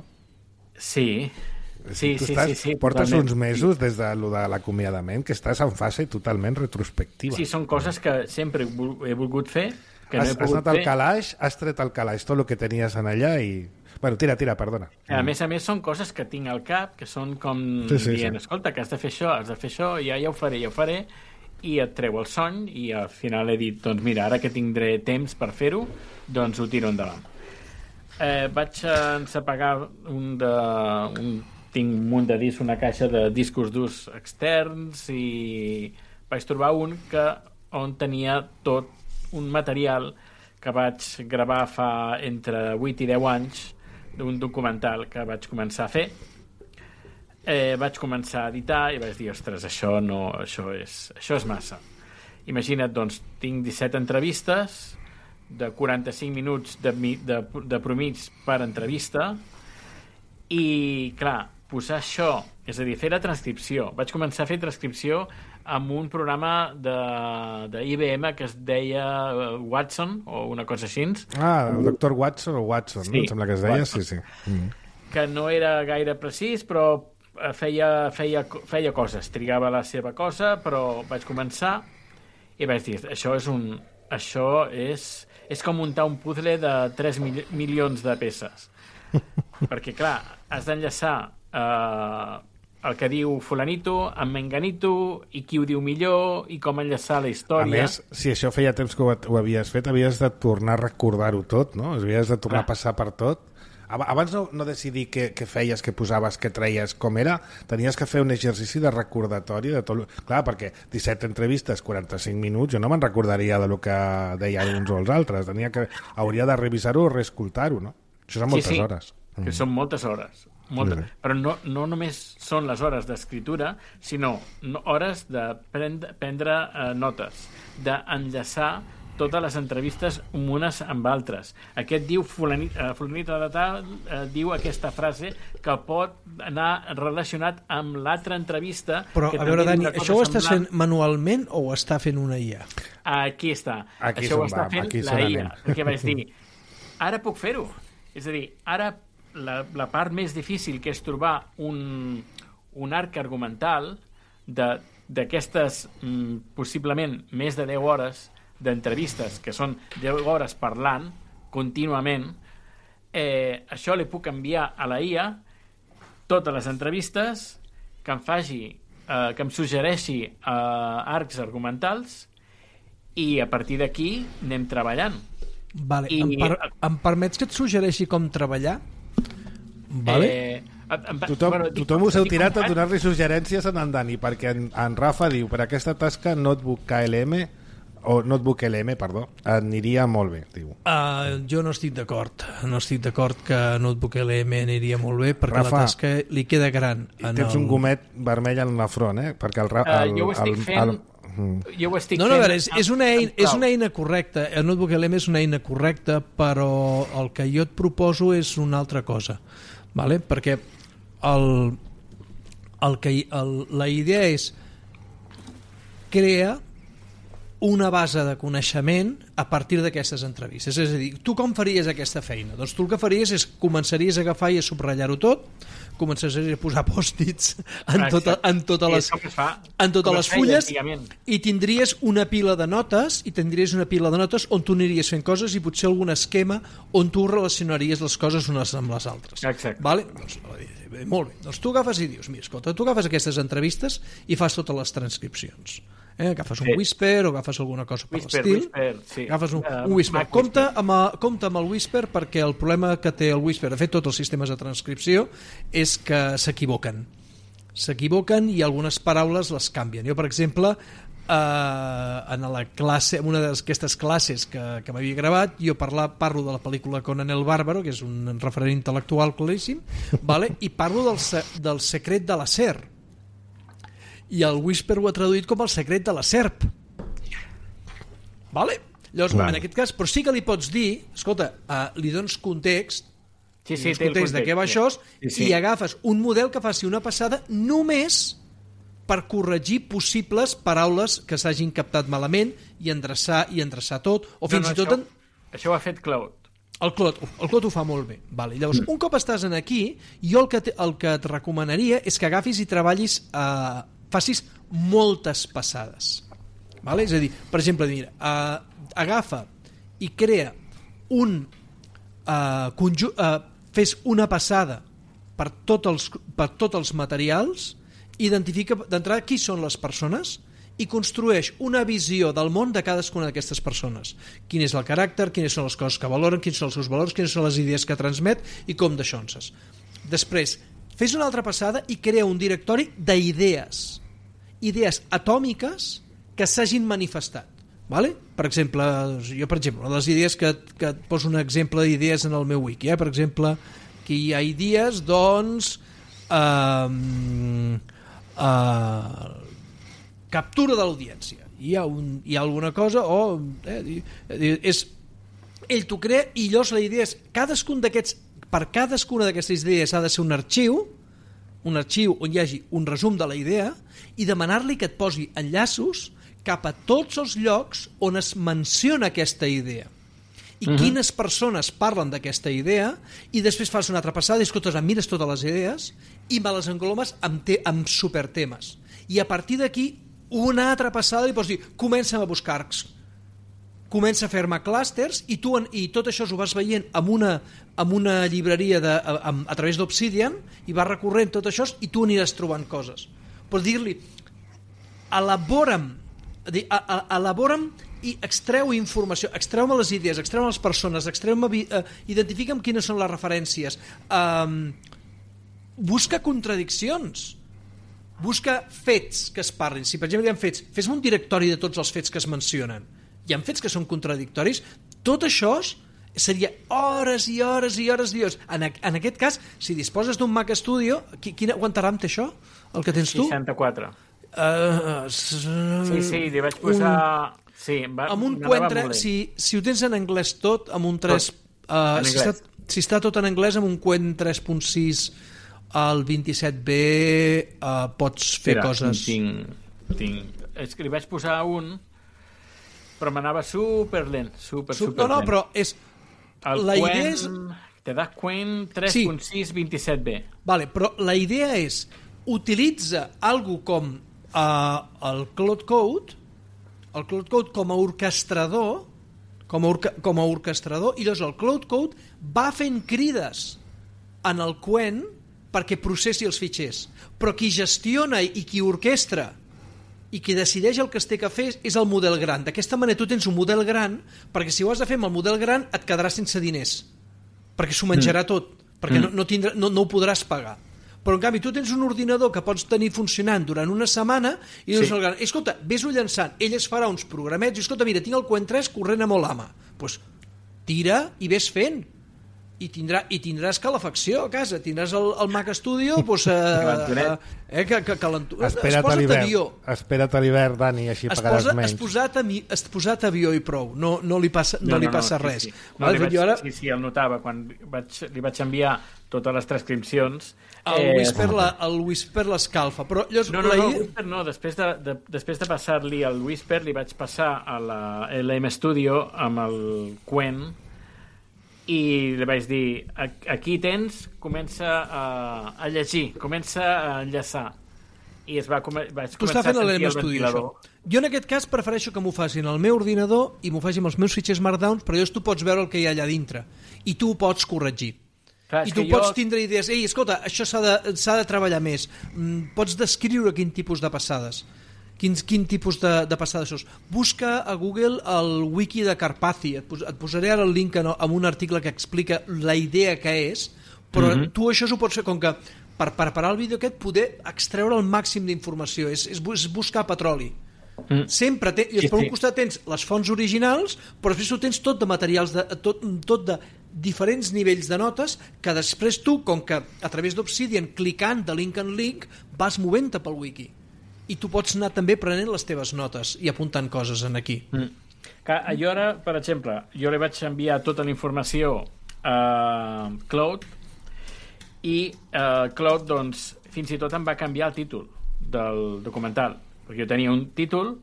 Sí, sí, sí, estàs, sí, sí. Portes totalment. uns mesos des de, lo de l'acomiadament que estàs en fase totalment retrospectiva. Sí, són coses que sempre he volgut fer, que has, no he pogut has anat al fer. calaix, has tret al calaix tot el que tenies en allà i... Bueno, tira, tira, perdona. A més a més són coses que tinc al cap, que són com sí, sí, dient, sí. escolta, que has de fer això, has de fer això, ja, ja ho faré, ja ho faré, i et treu el son i al final he dit, doncs mira, ara que tindré temps per fer-ho, doncs ho tiro endavant. Eh, vaig encepegar un, de, un tinc un munt de discs, una caixa de discos durs externs, i vaig trobar un que on tenia tot un material que vaig gravar fa entre vuit i deu anys, d'un documental que vaig començar a fer. Eh, vaig començar a editar i vaig dir, ostres, això no, això és, això és massa. Imagina't, doncs, tinc disset entrevistes de quaranta-cinc minuts de, de, de promig per entrevista, i, clar, posar això, és a dir, fer la transcripció. Vaig començar a fer transcripció amb un programa de, de I B M que es deia Watson, o una cosa així. Ah, el doctor Watson o Watson, sí, no? Em sembla que es deia, Watson. sí, sí. Mm. Que no era gaire precís, però feia, feia, feia coses, trigava la seva cosa, però vaig començar i vaig dir, això és un... Això és, és com muntar un puzzle de tres mil, milions de peces. Perquè, clar, has d'enllaçar eh, el que diu fulanito amb menganito, i qui ho diu millor, i com enllaçar la història. A més, si això feia temps que ho, ho havies fet, havies de tornar a recordar-ho tot, no? Havies de tornar clar. a passar per tot. Abans no, no decidir què, què feies, què posaves, què treies, com era, tenies que fer un exercici de recordatori de tot. Clar, perquè disset entrevistes, quaranta-cinc minuts, jo no me'n recordaria de lo que deien uns o els altres. Tenia que, hauria de revisar-ho o reescoltar-ho, no? Això són moltes sí, sí, hores. Que mm. són moltes hores. Moltes. Sí. Però no, no només són les hores d'escriptura, sinó no, hores de prendre, prendre eh, notes, d'enllaçar totes les entrevistes unes amb altres. Aquest diu fulanit, uh, fulanita de tal, uh, diu aquesta frase que pot anar relacionat amb l'altra entrevista. Però, que a veure, Dani, això ho estàs semblant... fent manualment o ho està fent una I A? Aquí està. Aquí això ho està va, fent la I A. Perquè vaig dir, ara puc fer-ho. És a dir, ara la, la part més difícil, que és trobar un, un arc argumental d'aquestes, mm, possiblement, més de deu hores d'entrevistes, que són deu hores parlant contínuament, eh, això li puc enviar a la I A totes les entrevistes, que em faci eh, que em suggereixi eh, arcs argumentals, i a partir d'aquí anem treballant. Vale. I, em, per, em permets que et suggereixi com treballar? Vale. Eh, em, tothom bueno, tothom us heu tirat a donar-li suggerències en en Dani, perquè en, en Rafa diu, per aquesta tasca Notebook K L M o Notebook L M, perdó, aniria molt bé, diu. Uh, jo no estic d'acord. No estic d'acord que Notebook L M aniria molt bé, perquè Rafa, la tasca li queda gran. I tens el... un gomet vermell en la front, eh? Perquè el... el, uh, jo ho estic el, fent... El... Jo ho estic no, no, fent... a veure, és, és, una eina, és una eina correcta. El Notebook L M és una eina correcta, però el que jo et proposo és una altra cosa. Vale? Perquè el, el que, el, la idea és crear una base de coneixement a partir d'aquestes entrevistes. És a dir, tu com faries aquesta feina? Doncs tu el que faries és començaries a agafar i a subratllar-ho tot, començaries a posar pòstits en, tota, en totes les, en totes les fulles, i tindries una pila de notes, i tindries una pila de notes on tu aniries fent coses i potser algun esquema on tu relacionaries les coses unes amb les altres. Exacte. Vale? Doncs, molt bé. Doncs tu agafes i dius, mira, escolta, tu agafes aquestes entrevistes i fas totes les transcripcions. Eh, agafes un sí. whisper o agafes alguna cosa per l'estil, sí. agafes un, uh, un whisper, compta amb, el, compta amb el whisper, perquè el problema que té el whisper, de fet tots els sistemes de transcripció, és que s'equivoquen s'equivoquen i algunes paraules les canvien. Jo, per exemple, eh, en la classe, en una d'aquestes classes que, que m'havia gravat, jo parla, parlo de la pel·lícula Conan el Bàrbaro, que és un referent intel·lectual claríssim, vale? I parlo del, del secret de la ser, i el whisper ho ha traduït com el secret de la serp. Vale? Llavors, clar, en aquest cas, però sí que li pots dir, escolta, uh, li dones context, sí, sí, context, context de què va sí. això, sí, sí. i agafes un model que faci una passada només per corregir possibles paraules que s'hagin captat malament i endreçar, i endreçar tot, o fins no, no, i tot... Això, en... això ho ha fet Claude. El Clot, el Clot ho fa molt bé. Vale. Llavors, un cop estàs en aquí, jo el que, te, el que et recomanaria és que agafis i treballis, eh, facis moltes passades. Vale? És a dir, per exemple, mira, eh, agafa i crea un eh, conju eh, fes una passada per tots els, per tots els materials, identifica d'entrada qui són les persones i construeix una visió del món de cadascuna d'aquestes persones. Quin és el caràcter, quines són les coses que valoren, quins són els seus valors, quines són les idees que transmet i com d'aixonses. Després, fes una altra passada i crea un directori d'idees, idees atòmiques que s'hagin manifestat. Vale? Per exemple, jo per exemple, una de les idees que, que et poso un exemple d'idees en el meu wiki, eh? Per exemple, que hi ha idees, doncs, eh, eh, captura de l'audiència. Hi ha, un, hi ha alguna cosa, o eh, és, ell t'ho crea i llavors la idea és, cadascun d'aquests, per cadascuna d'aquestes idees ha de ser un arxiu, un arxiu on hi hagi un resum de la idea i demanar-li que et posi enllaços cap a tots els llocs on es menciona aquesta idea i uh-huh. quines persones parlen d'aquesta idea, i després fas una altra passada i escoltes, mires totes les idees i me les englomes amb, te amb supertemes, i a partir d'aquí una altra passada i pots dir, comença a buscar comença a fer-me clústers i, tu, i tot això ho vas veient amb una, amb una llibreria de, a, a, a través d'Obsidian, i vas recorrent tot això i tu aniràs trobant coses. Pots dir-li, elabora'm elabora'm i extreu informació, extreu-me les idees, extreu-me les persones, extreu-me, uh, identifica'm quines són les referències, um, busca contradiccions, busca fets que es parlin. Si per exemple hi ha fets, fes-me un directori de tots els fets que es mencionen. Hi ha fets que són contradictoris. Tot això seria hores i hores i hores i hores. En, en aquest cas, si disposes d'un Mac Studio, quin aguantarà amb això, el que tens tu? seixanta-quatre. Uh, sí, sí, li vaig posar... Un, sí, va, amb un quatre, si, si ho tens en anglès tot, amb un tres... Uh, si, està, si està tot en anglès, amb un Qwen tres punt sis al vint-i-set B uh, pots fer Mira, coses... Tinc, tinc... És que li vaig posar un, però m'anava superlent, super, super No, no, lent. però és... El la Qwen, idea és... te da Qwen tres punt sis vint-i-set B. Vale, però la idea és utilitza algo com Uh, el Cloud Code el Cloud Code com a orquestrador com a, orca, com a orquestrador i llavors el Cloud Code va fent crides en el Qwen perquè processi els fitxers, però qui gestiona i qui orquestra i qui decideix el que es té que fer és el model gran. D'aquesta manera tu tens un model gran, perquè si ho has de fer amb el model gran et quedaràs sense diners, perquè s'ho menjarà mm. tot, perquè mm. no, no, tindrà, no, no ho podràs pagar. Però en canvi tu tens un ordinador que pots tenir funcionant durant una setmana i dius, sí. escolta, ves-ho llançant, ell es farà uns programets i escolta, mira, tinc el Qwen tres corrent a molt ama, doncs tira i ves fent i, tindrà, i tindràs calefacció a casa, tindràs el, el Mac Studio doncs, eh, eh, que, que, que espera't a l'hivern, espera't a l'hivern, Dani, així es pagaràs posa, menys. Es posat, a mi, es posat avió i prou, no, no li passa, no, no, li passa no, no, res. Sí, sí. No, li vaig, ara... sí, sí, el notava, quan vaig, li vaig enviar totes les transcripcions. El eh, Whisper, la, el Whisper l'escalfa, però llavors... No, no, no, el Whisper no, després de, de, després de passar-li el Whisper li vaig passar a la L M Studio amb el Qwen i li vaig dir, aquí tens, comença a, a llegir, comença a enllaçar. I es va, vaig tu començar a sentir el ventilador. Jo en aquest cas prefereixo que m'ho facin al meu ordinador i m'ho facin els meus fitxers Markdown, però llavors tu pots veure el que hi ha allà dintre i tu ho pots corregir. Clar, i tu pots jo... tindre idees, ei, escolta, això s'ha de, s'ha de treballar més, mm, pots descriure quin tipus de passades, quin, quin tipus de, de passades sos. Busca a Google el wiki de Carpathy, et, pos, et posaré ara el link en, en un article que explica la idea que és, però mm-hmm. tu això ho pots fer com que per preparar el vídeo aquest poder extreure el màxim d'informació, és, és, és buscar petroli. Mm. Sempre té, i sí, per un sí. costat tens les fonts originals, però després tu tens tot de materials de, tot, tot de diferents nivells de notes que després tu, com que a través d'Obsidian clicant de link en link vas movent-te pel wiki i tu pots anar també prenent les teves notes i apuntant coses en aquí. Mm. Que jo ara, per exemple, jo li vaig enviar tota la informació a Cloud i uh, Cloud doncs fins i tot em va canviar el títol del documental, perquè jo tenia un títol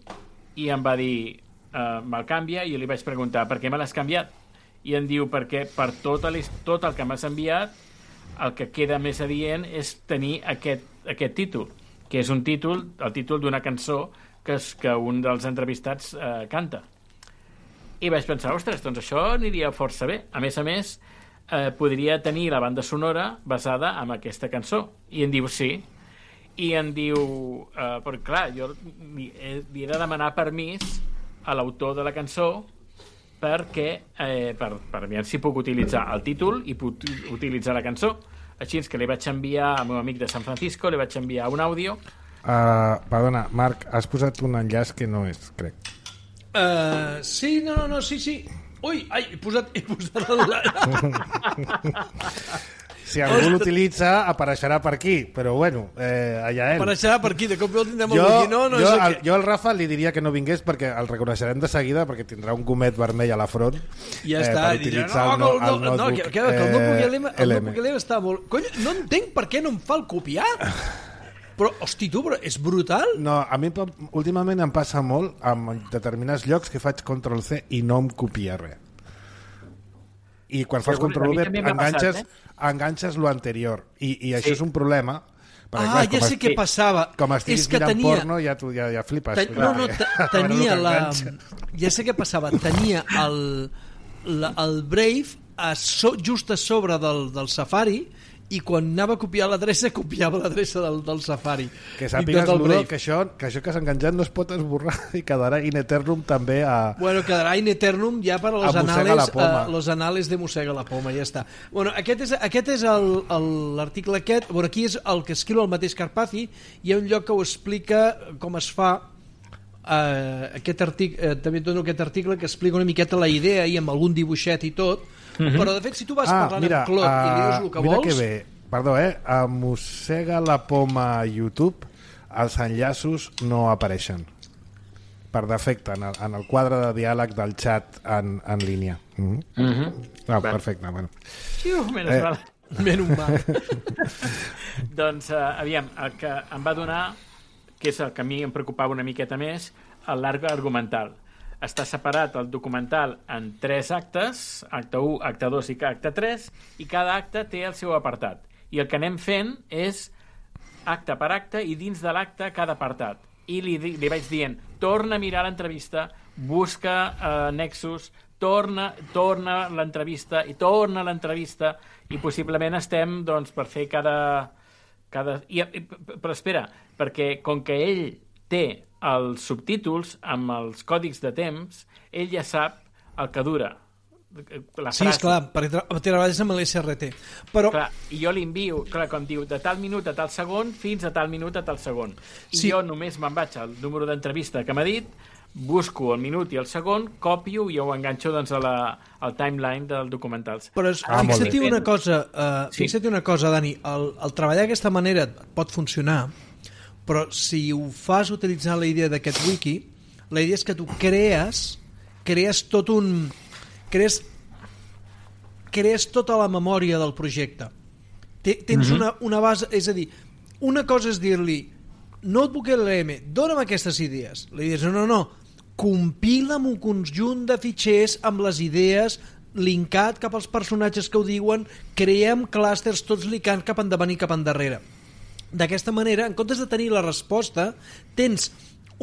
i em va dir uh, me'l canvia, i jo li vaig preguntar per què me l'has canviat, i em diu perquè per tot el, tot el que m'has enviat el que queda més adient és tenir aquest, aquest títol, que és un títol, el títol d'una cançó que, és, que un dels entrevistats eh, canta. I vaig pensar, ostres, doncs això aniria força bé. A més a més, eh, podria tenir la banda sonora basada en aquesta cançó. I em diu sí. I em diu, eh, perquè clar, jo li, li he de demanar permís a l'autor de la cançó perquè, eh, per, per veure si puc utilitzar el títol i puc utilitzar la cançó. Així que li vaig enviar al meu amic de San Francisco, li vaig enviar un àudio. Uh, perdona, Marc, has posat un enllaç que no és, crec. Uh, sí, no, no, no, sí, sí. Ui, ai, he posat, he posat el... Si algú l'utilitza, apareixerà per aquí, però bueno, eh, allà ell. Apareixerà per aquí, de cop el tindrem jo, aquí. No, no jo, és el, que... jo al Rafa li diria que no vingués perquè el reconeixerem de seguida, perquè tindrà un gomet vermell a la front. Ja eh, està, per dirà, utilitzar no, el, no, el no, no, notebook que, que, que el notebook L M, el L M. notebook L M està molt... Cony, no entenc per què no em fa el copiar. Però, hosti, tu, però és brutal. No, a mi últimament em passa molt amb determinats llocs que faig control C i no em copia res. I quan fas control V enganxes, passat, eh? enganxes lo anterior. I, i això sí. és un problema. Perquè, ah, clar, ja sé què passava. Com estiguis mirant tenia... porno, ja, tu, ja, ja flipes. Ten... No, no, tenia la... Ja sé què passava. Tenia el, la, el Brave a so, just a sobre del, del Safari, i quan anava a copiar l'adreça copiava l'adreça del, del Safari. Que sàpigues, Ludo, que això, que això que s'ha enganxat no es pot esborrar i quedarà in eternum també a... Bueno, quedarà in eternum ja per als anales, uh, los anales de Mossega la Poma, ja està. Bueno, aquest és, aquest és l'article aquest, bueno, aquí és el que escriu el mateix Carpazzi, hi ha un lloc que ho explica com es fa. Uh, aquest article, uh, també et dono aquest article que explica una miqueta la idea i amb algun dibuixet i tot. Mm-hmm. Però de fet si tu vas ah, parlant mira, amb Claude uh, i li dius el que mira vols que bé. Perdó, eh? A Mossega la Poma a YouTube els enllaços no apareixen per defecte en el, en el quadre de diàleg del xat en, en línia. Mm-hmm. Mm-hmm. Ah, perfecte, bueno. Xiu, menys eh. mal. Menys mal. Doncs, uh, aviam, el que em va donar, que és el que a mi em preocupava una miqueta més, l'arc argumental. Està separat el documental en tres actes, acte u, acte dos i acte tres, i cada acte té el seu apartat. I el que anem fent és acte per acte i dins de l'acte cada apartat. I li, li vaig dient, torna a mirar l'entrevista, busca eh, nexus, torna, torna l'entrevista i torna l'entrevista i possiblement estem doncs, per fer cada... cada... I, però espera, perquè com que ell té els subtítols amb els còdics de temps, ell ja sap el que dura la frase. Sí, esclar, perquè treballes amb l'S R T. Però... Clar, i jo li envio, clar, com diu, de tal minut a tal segon fins a tal minut a tal segon. I sí. jo només me'n vaig al número d'entrevista que m'ha dit, busco el minut i el segon, copio i ho enganxo doncs, a la, al timeline del documentals. Però es, ah, fixa't una cosa, uh, sí. fixa't una cosa, Dani, el, el treballar d'aquesta manera pot funcionar, però si ho fas utilitzant la idea d'aquest wiki, la idea és que tu crees crees tot un crees crees tota la memòria del projecte. Tens mm-hmm. una, una base, és a dir, una cosa és dir-li Notebook L M, dona'm aquestes idees. Li dius, no, no, no, compila'm un conjunt de fitxers amb les idees linkat cap als personatges que ho diuen, creem clústers tots linkant cap endavant i cap endarrere. D'aquesta manera, en comptes de tenir la resposta, tens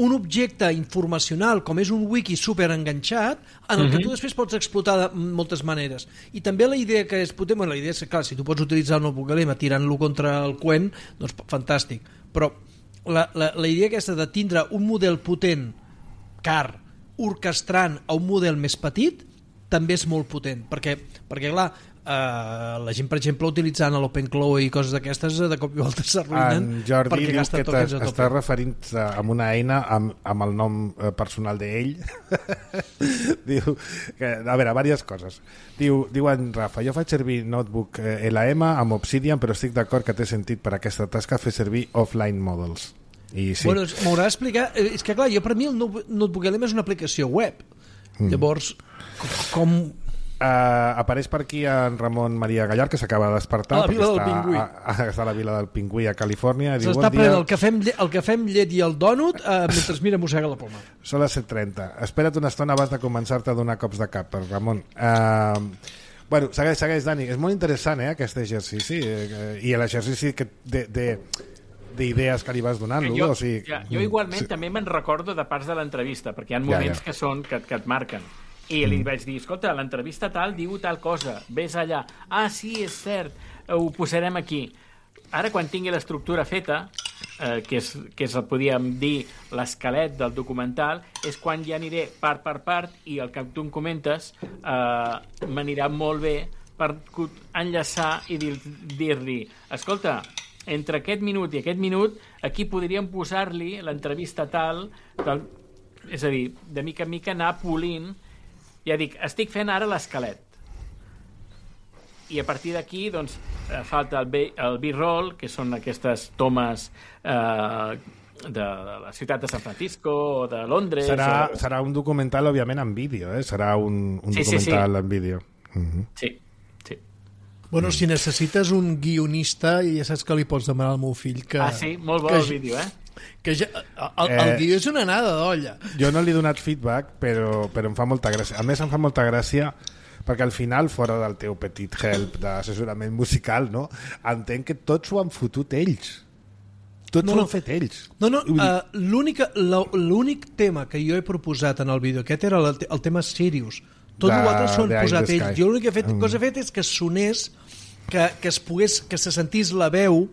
un objecte informacional com és un wiki super enganxat en el mm-hmm. que tu després pots explotar de moltes maneres. I també la idea que és potent, bueno, la idea és que, clar, si tu pots utilitzar el Notebook L M tirant-lo contra el Quen, doncs fantàstic. Però la, la, la idea aquesta de tindre un model potent, car, orquestrant a un model més petit, també és molt potent, perquè, perquè clar, Uh, la gent, per exemple, utilitzant l'OpenClaw i coses d'aquestes, de cop i volta s'arruïnen. En Jordi diu que t'està referint a una eina amb, amb el nom personal d'ell. Diu que, a veure, diverses coses. Diu, diu en Rafa, jo faig servir Notebook L M amb Obsidian, però estic d'acord que té sentit per aquesta tasca fer servir offline models. I sí. Bueno, m'haurà d'explicar, és que clar, jo per mi el Notebook L M és una aplicació web. Mm. Llavors, com... Uh, apareix per aquí en Ramon Maria Gallar, que s'acaba de despertar, a la vila del Pingüí. A, a, està a la vila del Pingüí a Califòrnia. S'està prenent el cafè, el cafè amb llet i el dònut uh, mentre mira Mossega la Poma. Són les set trenta. Espera't una estona abans de començar-te a donar cops de cap, Ramon. Uh, bueno, segueix, segueix, Dani. És molt interessant, eh, aquest exercici. Eh, I l'exercici que de... de d'idees que li vas donant, jo, o sigui, ja, jo igualment sí. també me'n recordo de parts de l'entrevista, perquè hi ha moments ja, ja. que són que, que et marquen. I li vaig dir, escolta, l'entrevista tal diu tal cosa, ves allà. Ah, sí, és cert, ho posarem aquí. Ara, quan tingui l'estructura feta, eh, que, és, que és, podríem dir, l'esquelet del documental, és quan ja aniré part per part i el que tu em comentes eh, m'anirà molt bé per enllaçar i dir-li, escolta, entre aquest minut i aquest minut, aquí podríem posar-li l'entrevista tal, tal, és a dir, de mica en mica anar polint. Ja dic, estic fent ara l'esquelet. I a partir d'aquí, doncs, falta el, el B-roll, que són aquestes tomes eh, de, de la ciutat de San Francisco o de Londres. Serà, o... serà un documental, òbviament, en vídeo, eh? Serà un, un sí, documental sí, sí. en vídeo. Uh-huh. Sí, sí. Bueno, si necessites un guionista, ja saps que li pots demanar al meu fill que... Ah, sí? Molt bo que, el vídeo, eh? Que ja, el, el guió és una anada d'olla. Jo no li he donat feedback, però, però em fa molta gràcia. A més, em fa molta gràcia perquè al final, fora del teu petit help d'assessorament musical, no? Entenc que tots ho han fotut ells. Tots no, ho no. han fet ells. No, no, uh, l'únic tema que jo he proposat en el vídeo aquest era el, el tema Sirius. Tot de, l'altre s'ho han posat ells. Jo l'única fet, mm. cosa que he fet és que sonés, que, que es pogués, que se sentís la veu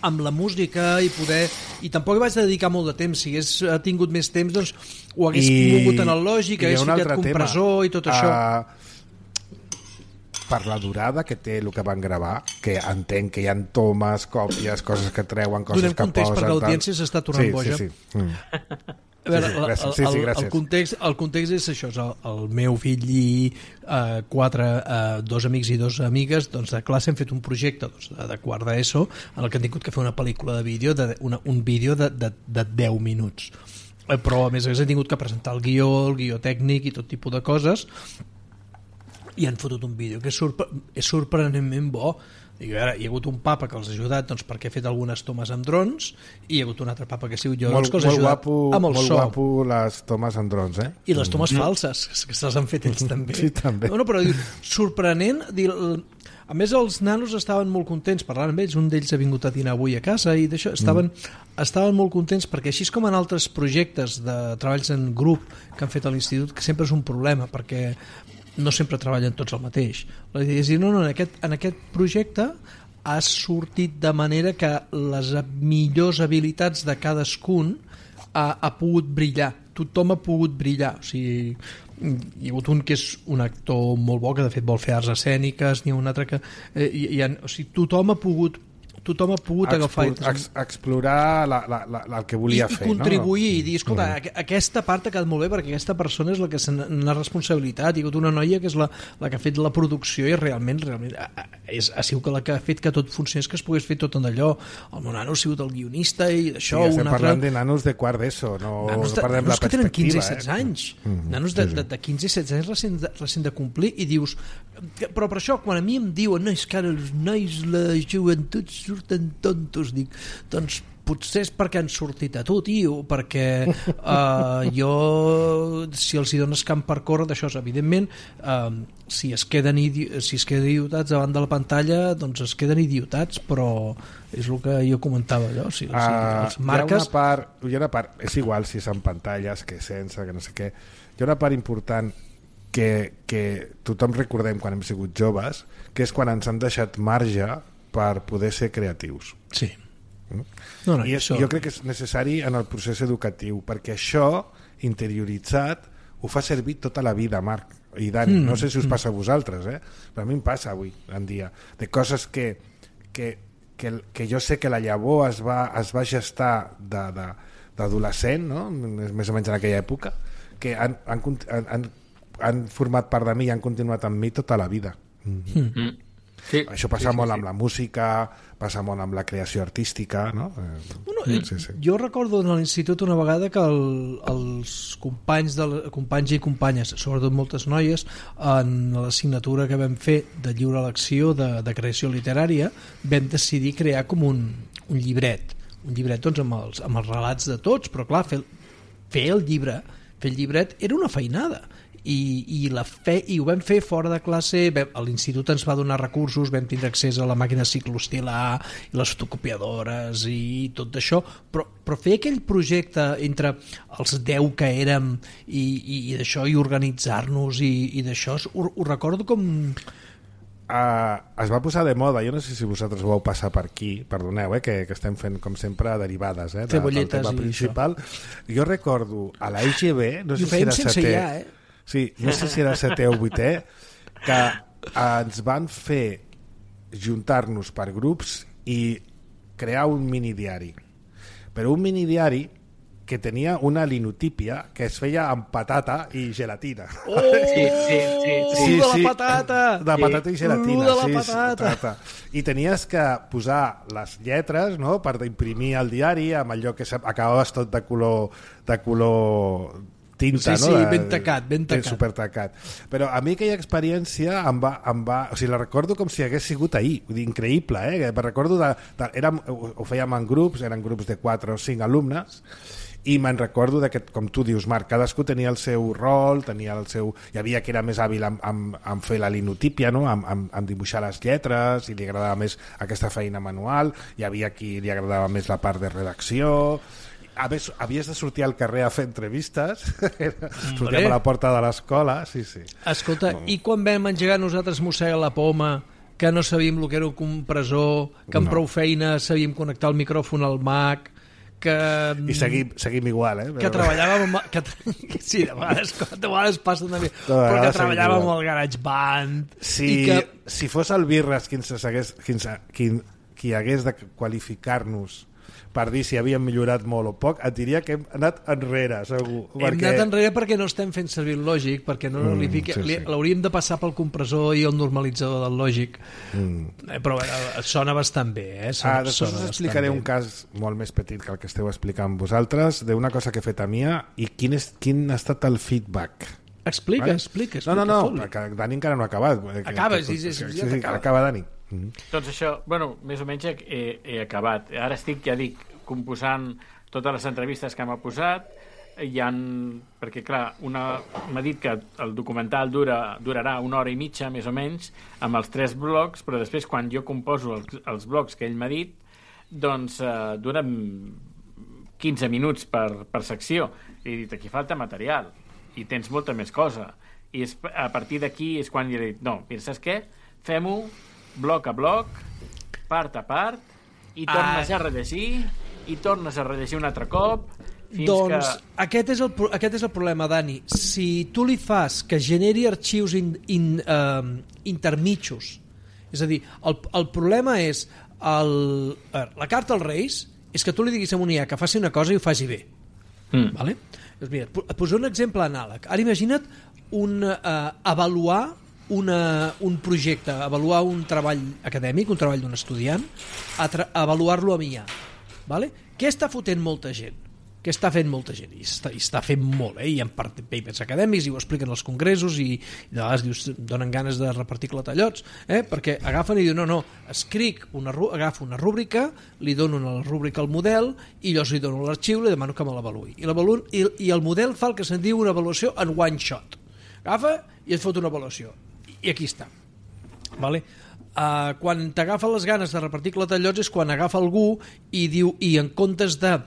amb la música i poder... I tampoc vaig dedicar molt de temps. Si hagués tingut més temps, doncs ho hagués I, mogut en el lògic, hagués ficat compressor tema. I tot això. Uh, per la durada que té el que van gravar, que entenc que hi ha tomes, còpies, coses que treuen, coses Donem que posen... Donem context perquè l'audiència s'està tornant sí, boja. Sí, sí. Mm. A veure, sí, sí, gràcies. El, Sí, sí, el, el, context, el context és això, és el, el meu fill i uh, quatre, uh, dos amics i dos amigues doncs, de classe hem fet un projecte doncs, de quart d'ESO en el que han tingut que fer una pel·lícula de vídeo, de, una, un vídeo de, de, de deu minuts. Eh, però a més a més han tingut que presentar el guió, el guió tècnic i tot tipus de coses i han fotut un vídeo que és, sorpre és sorprenentment bo. I a veure, hi ha hagut un papa que els ha ajudat doncs, perquè he fet algunes tomes amb drons i hi ha hagut un altre papa que ha sigut jo molt, doncs, que els ha ajudat guapo, amb el molt so. Molt guapo les tomes amb drons, eh? I les tomes mm. falses, que se les han fet ells també. Sí, també. No, no, però diu, sorprenent, dir, a més els nanos estaven molt contents parlant amb ells, un d'ells ha vingut a dinar avui a casa i d'això, estaven, mm. estaven molt contents perquè així com en altres projectes de treballs en grup que han fet a l'institut, que sempre és un problema perquè no sempre treballen tots el mateix. La idea és dir, no, no, en aquest, en aquest projecte ha sortit de manera que les millors habilitats de cadascun ha, ha pogut brillar. Tothom ha pogut brillar. O sigui, hi ha hagut un que és un actor molt bo, que de fet vol fer arts escèniques, n'hi ha un altre que... Eh, hi, hi ha, o sigui, tothom ha pogut tothom ha pogut Explor, agafar ex, explorar la, la, la, la, el que volia i, fer, i contribuir no? i dir, escolta, mm. aquesta part ha quedat molt bé perquè aquesta persona és la que n'ha responsabilitat. Hi ha hagut una noia que és la, la que ha fet la producció i realment, realment és, ha sigut la que ha fet que tot funcionés, que es pogués fer tot en allò. El meu nano ha sigut el guionista i d'això. Sí, estem altre... parlant de nanos de quart d'ESO, no, nanos de, no parlem nanos de la perspectiva. Que tenen quinze i setze eh? anys. Mm. Nanos de, de, de quinze i setze anys recent de, recent de complir i dius... Però per això, quan a mi em diuen no, és que ara els nois, la joventut surten tontos, dic, doncs potser és perquè han sortit a tu, tio, perquè uh, jo, si els hi dones camp per córrer, d'això és evidentment, uh, si es queden si es queden idiotats davant de la pantalla, doncs es queden idiotats, però és el que jo comentava allò, o sigui, uh, els marques... Hi ha una part, hi ha una part, és igual si és en pantalles, que sense, que no sé què, hi ha una part important que, que tothom recordem quan hem sigut joves, que és quan ens han deixat marge per poder ser creatius. Sí. Mm? No, no, I és, això... jo crec que és necessari en el procés educatiu, perquè això, interioritzat, ho fa servir tota la vida, Marc i Dani. Mm, no sé si us passa a vosaltres, eh? però a mi em passa avui en dia, de coses que, que, que, que jo sé que la llavor es va, es va gestar d'adolescent, no? més o menys en aquella època, que han, han, han, han format part de mi i han continuat amb mi tota la vida. Mm. Mm. Sí, això passa sí, sí, molt sí. amb la música, passa molt amb la creació artística, no? Bueno, sí, sí. Jo recordo en l'institut una vegada que el, els companys, de, companys i companyes, sobretot moltes noies, en l'assignatura que vam fer de lliure elecció de, de creació literària, vam decidir crear com un, un llibret, un llibret doncs, amb, els, amb els relats de tots, però clar, fer, fer el llibre, fer el llibret era una feinada. I, i, la fe, i ho vam fer fora de classe. L'institut ens va donar recursos, vam tindre accés a la màquina cicloestilar i les fotocopiadores i tot això, però, però fer aquell projecte entre els deu que érem i, i, i d'això, i organitzar-nos i, i d'això, ho, ho recordo com... Uh, es va posar de moda, jo no sé si vosaltres ho vau passar per aquí, perdoneu, eh, que, que estem fent com sempre derivades eh, de, del tema principal. Jo recordo a la I G B, no sé si era setè, ja, eh? sí, no sé si era setè o vuitè, que ens van fer juntar-nos per grups i crear un minidiari. Però un minidiari que tenia una linotípia que es feia amb patata i gelatina. Oh, Sí, sí, sí, sí. de la patata! De patata i gelatina. Uh, de la sí, patata. patata. I tenies que posar les lletres, no?, per imprimir el diari amb allò que acabaves tot de color de color tinta, Sí, no? sí, De, ben tacat, ben tacat. Super tacat. Però a mi aquella experiència em va, em va... O sigui, la recordo com si hagués sigut ahir. Vull dir, increïble, eh? Me recordo de... de érem, ho fèiem en grups, eren grups de quatre o cinc alumnes, i me'n recordo de que, com tu dius, Marc, cadascú tenia el seu rol, tenia el seu... Hi havia qui era més hàbil en, en, en fer la linotípia, no?, en, en, en dibuixar les lletres, i li agradava més aquesta feina manual, hi havia qui li agradava més la part de redacció... A més, havies de sortir al carrer a fer entrevistes, sortíem a la porta de l'escola, sí, sí. Escolta, no. I quan vam engegar nosaltres mossega la poma, que no sabíem el que era un compressor, que amb No. prou feina sabíem connectar el micròfon al Mac, que... I seguim, seguim igual, eh? que treballàvem amb... Que, sí, de vegades, de vegades passa també, De però que vegades treballàvem seguim amb el GarageBand. Si, I que... si fos el Birres qui, ens hagués, qui, ens- qui, qui hagués de qualificar-nos per dir si havíem millorat molt o poc, et diria que hem anat enrere, segur. Hem perquè... anat enrere perquè no estem fent servir el Lògic, perquè no mm, li fiqui... sí, sí. l'hauríem de passar pel compressor i el normalitzador del Lògic. Mm. Eh, però eh, sona bastant bé, eh? Sona, Ah, després us explicaré un cas molt més petit que el que esteu explicant vosaltres, d'una cosa que he fet a Mia i quin, és, quin ha estat el feedback. Explica, Vale? explica, explica. No, no, no, fot-li. perquè Dani encara no ha acabat. Acaba, que, sí, sí, sí, sí, ja sí, t'acaba. acaba Dani. Mm. Doncs això, bueno, més o menys he, he, he acabat. Ara estic, ja dic, composant totes les entrevistes que m'ha posat. Hi han, perquè clar, una, m'ha dit que el documental dura, durarà una hora i mitja, més o menys, amb els tres blocs, però després quan jo composo els, els blocs que ell m'ha dit, doncs eh, duren quinze minuts per, per secció. I he dit, aquí falta material i tens molta més cosa. I és, a partir d'aquí és quan li he dit, no, mira, saps què? Fem-ho bloc a bloc, part a part, i tornes Ah. a rellegir, i tornes a rellegir un altre cop, fins Doncs que... aquest, és el, pro- aquest és el problema, Dani. Si tu li fas que generi arxius in, in, uh, intermitjos, és a dir, el, el problema és el, a veure, la carta als Reis és que tu li diguis a un I A que faci una cosa i ho faci bé. Mm. Vale? Doncs mira, et poso un exemple anàleg. Ara imagina't un, uh, avaluar una, un projecte, avaluar un treball acadèmic, un treball d'un estudiant, a tra- avaluar-lo amb I A. Vale? Què està fotent molta gent? Què està fent molta gent? I està, i està fent molt, eh? Hi ha papers acadèmics i ho expliquen als congressos i, i de vegades dius, donen ganes de repartir clatallots, eh? Perquè agafen i diuen, no, no, escric una, agafo una rúbrica, li dono la rúbrica al model i llavors li dono l'arxiu i li demano que me l'avaluï. I, i, I el model fa el que se'n diu una avaluació en one shot. Agafa i et fot una avaluació. I aquí està. Vale? Uh, quan t'agafa les ganes de repartir clatallots és quan agafa algú i diu, i en comptes de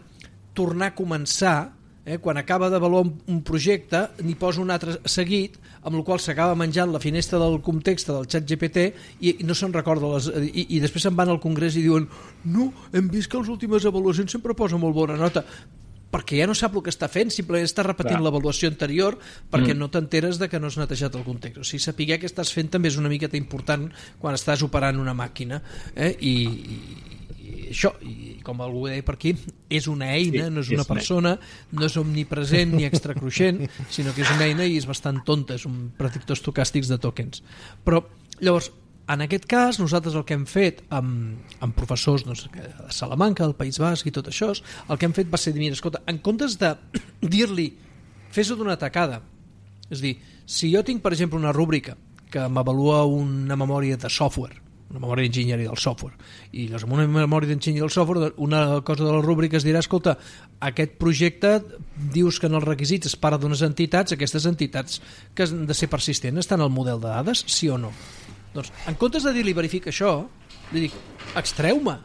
tornar a començar, eh, quan acaba d'avaluar un, un projecte n'hi posa un altre seguit, amb el qual s'acaba menjant la finestra del context del xat G P T i, i no se'n recorda les, i, i després se'n van al congrés i diuen, no, hem vist que les últimes avaluacions sempre posa molt bona nota, perquè ja no sap el que està fent, simplement està repetint l'avaluació anterior perquè mm. no t'enteres de que no has netejat el context. O sigui, saber què estàs fent també és una miqueta important quan estàs operant una màquina, eh? I, i, i això, i com algú deia per aquí, és una eina, sí, no és una és persona, no és omnipresent ni extracruixent, sinó que és una eina i és bastant tonta, és un predictor estocàstics de tokens. Però, llavors, en aquest cas, nosaltres el que hem fet amb, amb professors doncs, de Salamanca, del País Basc i tot això, el que hem fet va ser dir, mira, escolta, en comptes de dir-li fes-ho d'una tacada, és a dir, si jo tinc, per exemple, una rúbrica que m'avalua una memòria de software, una memòria d'enginyeria del software, i llavors amb una memòria d'enginyeria del software, una cosa de la rúbrica es dirà, escolta, aquest projecte dius que en els requisits es parla d'unes entitats, aquestes entitats que han de ser persistents estan al model de dades, sí o no? Doncs, en comptes de dir-li verifica això, li dic, extreu-me,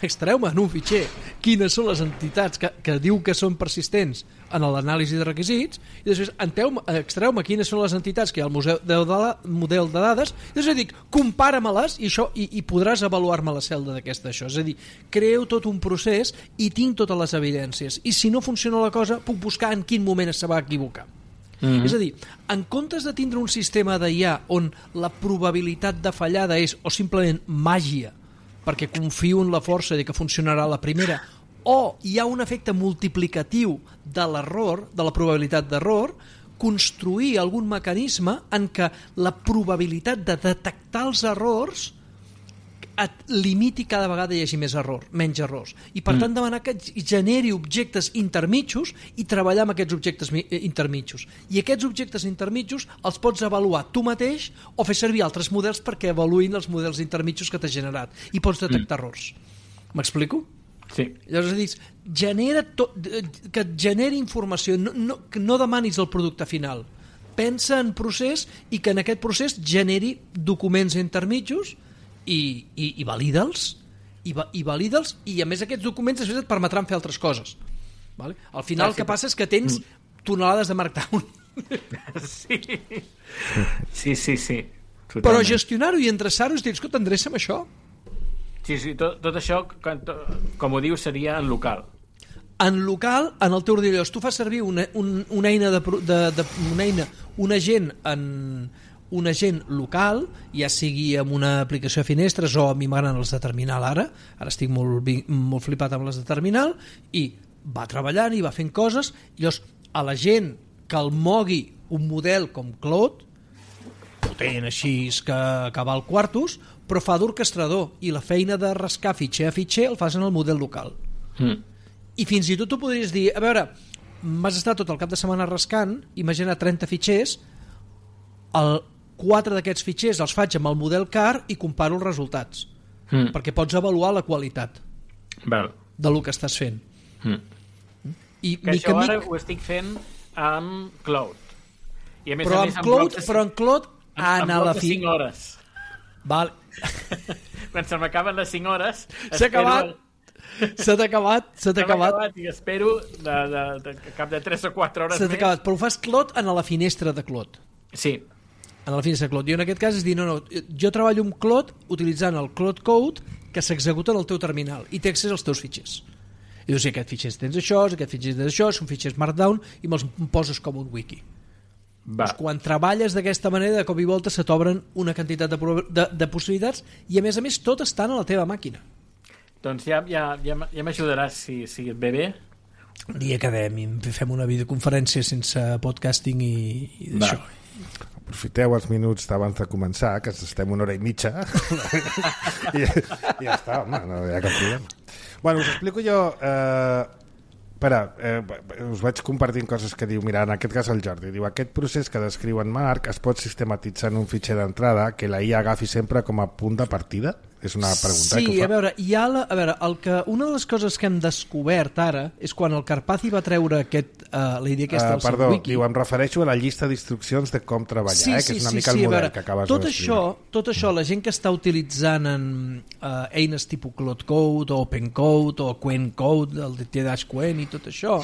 extreu-me en un fitxer quines són les entitats que, que diu que són persistents en l'anàlisi de requisits, i després extreu-me quines són les entitats que hi ha al museu de, de, model de dades, i després dic, compara-me-les i, això, i, i podràs avaluar-me la celda d'aquesta això. És a dir, creo tot un procés i tinc totes les evidències, i si no funciona la cosa, puc buscar en quin moment se va equivocar. Mm-hmm. És a dir, en comptes de tindre un sistema d'I A on la probabilitat de fallada és o simplement màgia, perquè confio en la força de que funcionarà la primera, o hi ha un efecte multiplicatiu de l'error, de la probabilitat d'error, construir algun mecanisme en què la probabilitat de detectar els errors et limiti cada vegada hi hagi més error, menys errors. I per mm. tant demanar que generi objectes intermitjos i treballar amb aquests objectes intermitjos. I aquests objectes intermitjos els pots avaluar tu mateix o fer servir altres models perquè avaluïn els models intermitjos que t'ha generat. I pots detectar mm. errors. M'explico? Sí. Llavors dius, genera to, que et generi informació, no, no, que no demanis el producte final. Pensa en procés i que en aquest procés generi documents intermitjos i, i, i valida'ls i, va, i valida'ls i a més aquests documents després et permetran fer altres coses, vale? Al final ah, sí, el que passa és que tens tonelades de Markdown. Sí, sí, sí, sí. Totalment. Però gestionar-ho i endreçar-ho és dir, escolta, endreça'm això. Sí, sí, tot, tot això, com ho dius, seria en local. En local, en el teu ordinador, tu fas servir una, un, una eina de, de, de una eina, un agent en un agent local, ja sigui amb una aplicació de finestres o a mi m'agraden els de terminal ara, ara estic molt, molt flipat amb les de terminal, i va treballant i va fent coses, i llavors a la gent que el mogui un model com Claude, potent així que, que val quartos, però fa d'orquestrador, i la feina de rascar fitxer a fitxer el fas en el model local. Mm. I fins i tot tu podries dir, a veure, m'has estat tot el cap de setmana rascant, imagina trenta fitxers, el quatre d'aquests fitxers els faig amb el model car i comparo els resultats, mm. perquè pots avaluar la qualitat Val. del que estàs fent. Mm. I que mica, això ara mica... ho estic fent amb Claude. I a més però, a més, amb Claude, de... però en Claude en, en a la fi... cinc hores. Val. Quan se m'acaben les cinc hores... S'ha acabat. Se t'ha acabat, se t'ha acabat. acabat i espero de, de, de, de cap de tres o quatre hores se t'ha acabat, però ho fas Claude en la finestra de Claude. Sí. En la finestra de Claude. Jo en aquest cas és dir, no, no, jo treballo amb Claude utilitzant el Claude Code que s'executa en el teu terminal i té accés als teus fitxers. I dius, aquest fitxer tens això, aquest fitxer tens això, són fitxers Markdown i me'ls poses com un wiki. Doncs quan treballes d'aquesta manera, de cop i volta se t'obren una quantitat de, de, de possibilitats i a més a més tot estan a la teva màquina. Doncs ja, ja, ja, ja m'ajudaràs si, si et ve bé. Un dia quedem i fem una videoconferència sense podcasting i, i d'això. Aprofiteu els minuts abans de començar, que estem una hora i mitja. I, i ja està, home, no hi ha cap problema. Bueno, us explico jo... Eh, espera, eh, us vaig compartint coses que diu, mira, en aquest cas el Jordi, diu, aquest procés que descriu en Marc es pot sistematitzar en un fitxer d'entrada que la I A agafi sempre com a punt de partida? És una pregunta sí, que ho fa. a veure, hi ha la, a veure el que, una de les coses que hem descobert ara és quan el Karpathy va treure aquest, uh, la idea aquesta uh, del perdó, seu wiki. Diu, em refereixo a la llista d'instruccions de com treballar, sí, eh, sí, que és una sí, mica sí, el model veure, que acabes tot de això, tot això, la gent que està utilitzant en uh, eines tipus Claude Code o Open Code o Quen Code, el de T-Quen i tot això,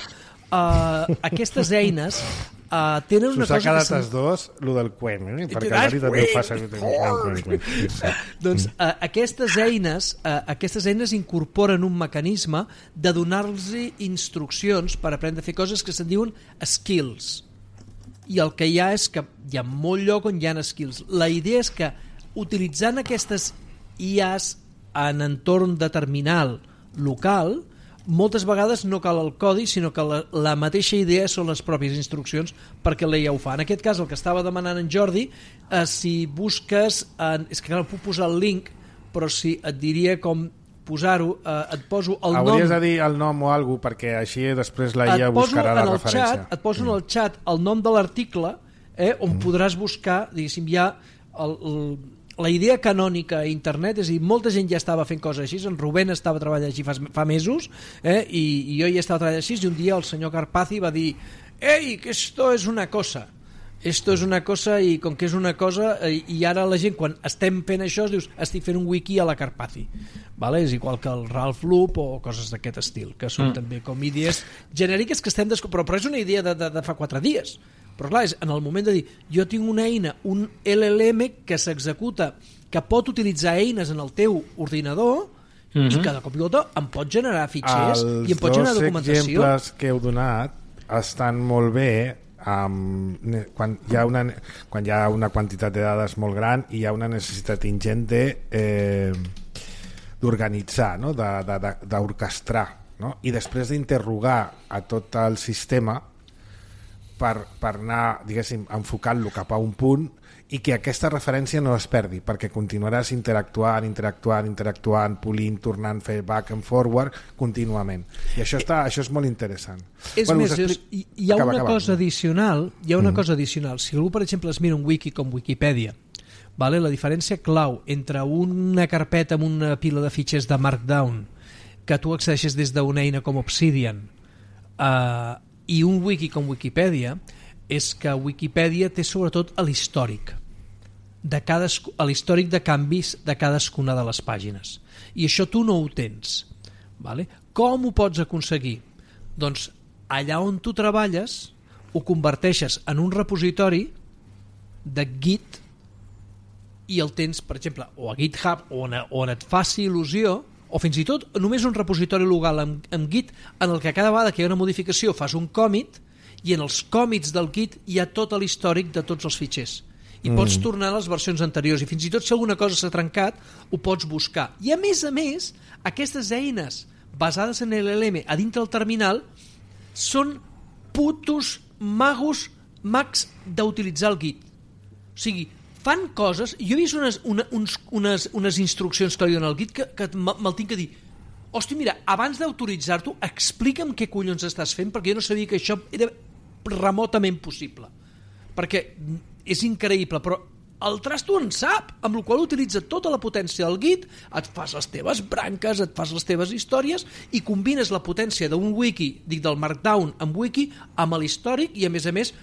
uh, aquestes eines Uh, tenen una cosa que... S'us ha quedat els dos, el del Quen, eh? perquè l'Ari també ho fa servir. Doncs uh, aquestes eines uh, aquestes eines incorporen un mecanisme de donar-los instruccions per aprendre a fer coses que se'n diuen skills. I el que hi ha és que hi ha molt lloc on hi ha skills. La idea és que utilitzant aquestes I As en entorn de terminal local, moltes vegades no cal el codi, sinó que la, la mateixa idea són les pròpies instruccions perquè la I A ho fa. En aquest cas, el que estava demanant en Jordi, eh, si busques... Eh, és que no puc posar el link, però si et diria com posar-ho, eh, et poso el Hauries nom... Hauries de dir el nom o alguna cosa, perquè així després la I A buscarà la referència. Xat, et poso en el xat el nom de l'article, eh, on mm. podràs buscar, diguéssim, ja el... el la idea canònica a internet, és a dir, molta gent ja estava fent coses així, en Rubén estava treballant així fa, fa mesos, eh, i, i jo ja estava treballant així, i un dia el senyor Karpathy va dir, ei, que esto es una cosa, esto es una cosa, i com que és una cosa, eh, i ara la gent, quan estem fent això, es dius, estic fent un wiki a la Karpathy, vale? És igual que el Ralph Loop o coses d'aquest estil, que són mm. també com idees genèriques que estem descobrint, però, però és una idea de, de, de fa quatre dies. Però clar, és en el moment de dir, jo tinc una eina, un L L M que s'executa, que pot utilitzar eines en el teu ordinador mm-hmm. i que de cop i volta em pot generar fitxers els i em pot generar documentació. Els dos exemples que heu donat estan molt bé Um, quan, hi ha una, quan hi ha una quantitat de dades molt gran i hi ha una necessitat ingent de, eh, d'organitzar, no? d'orquestrar, no? I després d'interrogar a tot el sistema per, per anar, diguéssim, enfocant-lo cap a un punt i que aquesta referència no es perdi, perquè continuaràs interactuant, interactuant, interactuant, polint, tornant, fer back and forward contínuament. I això, està, això és molt interessant. És bueno, més, explic... hi, hi ha acaba, una acaba. cosa addicional, hi ha una Mm. cosa addicional. Si algú, per exemple, es mira un wiki com Wikipedia, vale? La diferència clau entre una carpeta amb una pila de fitxers de Markdown que tu accedeixes des d'una eina com Obsidian uh, i un wiki com Wikipedia és que Wikipedia té sobretot l'històric de cadasc... l'històric de canvis de cadascuna de les pàgines, i això tu no ho tens, vale? Com ho pots aconseguir? Doncs allà on tu treballes ho converteixes en un repositori de Git i el tens, per exemple, o a GitHub on, on et faci il·lusió, o fins i tot només un repositori local amb, amb Git en el que cada vegada que hi ha una modificació fas un commit i en els commits del Git hi ha tot l'històric de tots els fitxers i mm. pots tornar a les versions anteriors i fins i tot si alguna cosa s'ha trencat ho pots buscar. I a més a més aquestes eines basades en l'L L M a dintre del terminal són putos magos mags d'utilitzar el Git. O sigui, fan coses... Jo he vist unes, una, uns, unes, unes instruccions que li donen al Git que, que me'l tinc que dir. Hosti, mira, abans d'autoritzar-t'ho, explica'm què collons estàs fent, perquè jo no sabia que això era remotament possible. Perquè és increïble, però el trasto en sap, amb la qual utilitza tota la potència del Git, et fas les teves branques, et fas les teves històries i combines la potència d'un wiki, dic del Markdown amb wiki, amb l'històric i a més a més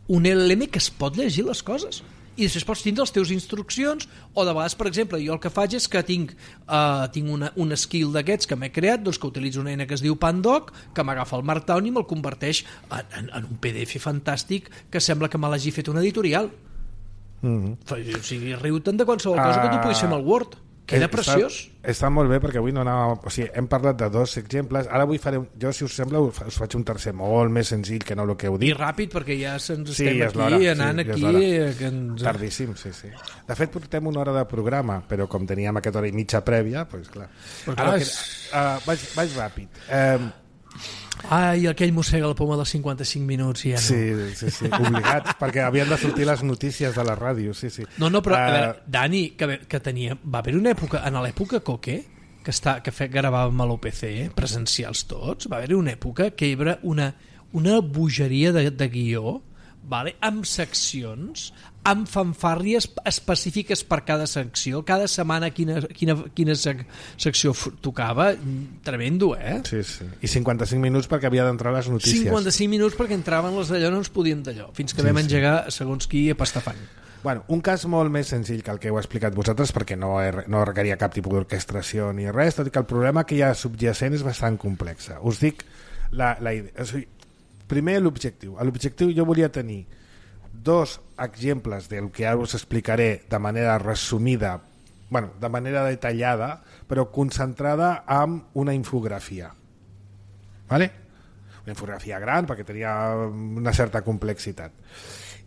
un L L M que es pot llegir les coses. I després pots tindre les teves instruccions o de vegades, per exemple, jo el que faig és que tinc, uh, tinc una, un skill d'aquests que m'he creat, doncs que utilitzo una eina que es diu Pandoc, que m'agafa el Markdown i me'l converteix en, en, en un P D F fantàstic que sembla que me l'hagi fet una editorial. Mm-hmm. O sigui, riu-te'n de qualsevol cosa uh, que tu puguis fer amb el Word. Queda preciós. Està, està molt bé perquè avui no anava, o sigui, hem parlat de dos exemples, ara avui faré, jo si us sembla us, us faig un tercer molt més senzill que no el que heu dit. I ràpid perquè ja se'ns sí, estem ja aquí anant sí, aquí ja que ens... tardíssim, sí, sí. De fet portem una hora de programa, però com teníem aquesta hora i mitja prèvia, doncs pues, clar. Però, ara, clar que, uh, vaig, vaig ràpid. Um, Ai, aquell mossega la poma dels cinquanta-cinc minuts i ja no. Sí, sí, sí, obligat, perquè havien de sortir les notícies de la ràdio, sí, sí. No, no, però, uh, a veure, Uh, Dani, que, que tenia... Va haver una època, en l'època Coque, que, està, que fe, gravàvem a l'O P C, presencials tots, va haver una època que hi havia una, una bogeria de, de guió, vale? Amb seccions, amb fanfàrries específiques per cada secció, cada setmana quina, quina, quina sec, secció tocava, tremendo, eh? Sí, sí. I cinquanta-cinc minuts perquè havia d'entrar les notícies. cinquanta-cinc minuts perquè entraven les d'allò, no ens podíem d'allò, fins que sí, vam engegar segons qui a pastafant. Bueno, un cas molt més senzill que el que heu explicat vosaltres perquè no, he, no requeria cap tipus d'orquestració ni res, tot i que el problema que hi ha subjacent és bastant complex. Us dic la, la idea. O sigui, primer l'objectiu. L'objectiu jo volia tenir dos exemples del que ara us explicaré de manera resumida, bueno, de manera detallada, però concentrada en una infografia. ¿Vale? Una infografia gran perquè tenia una certa complexitat.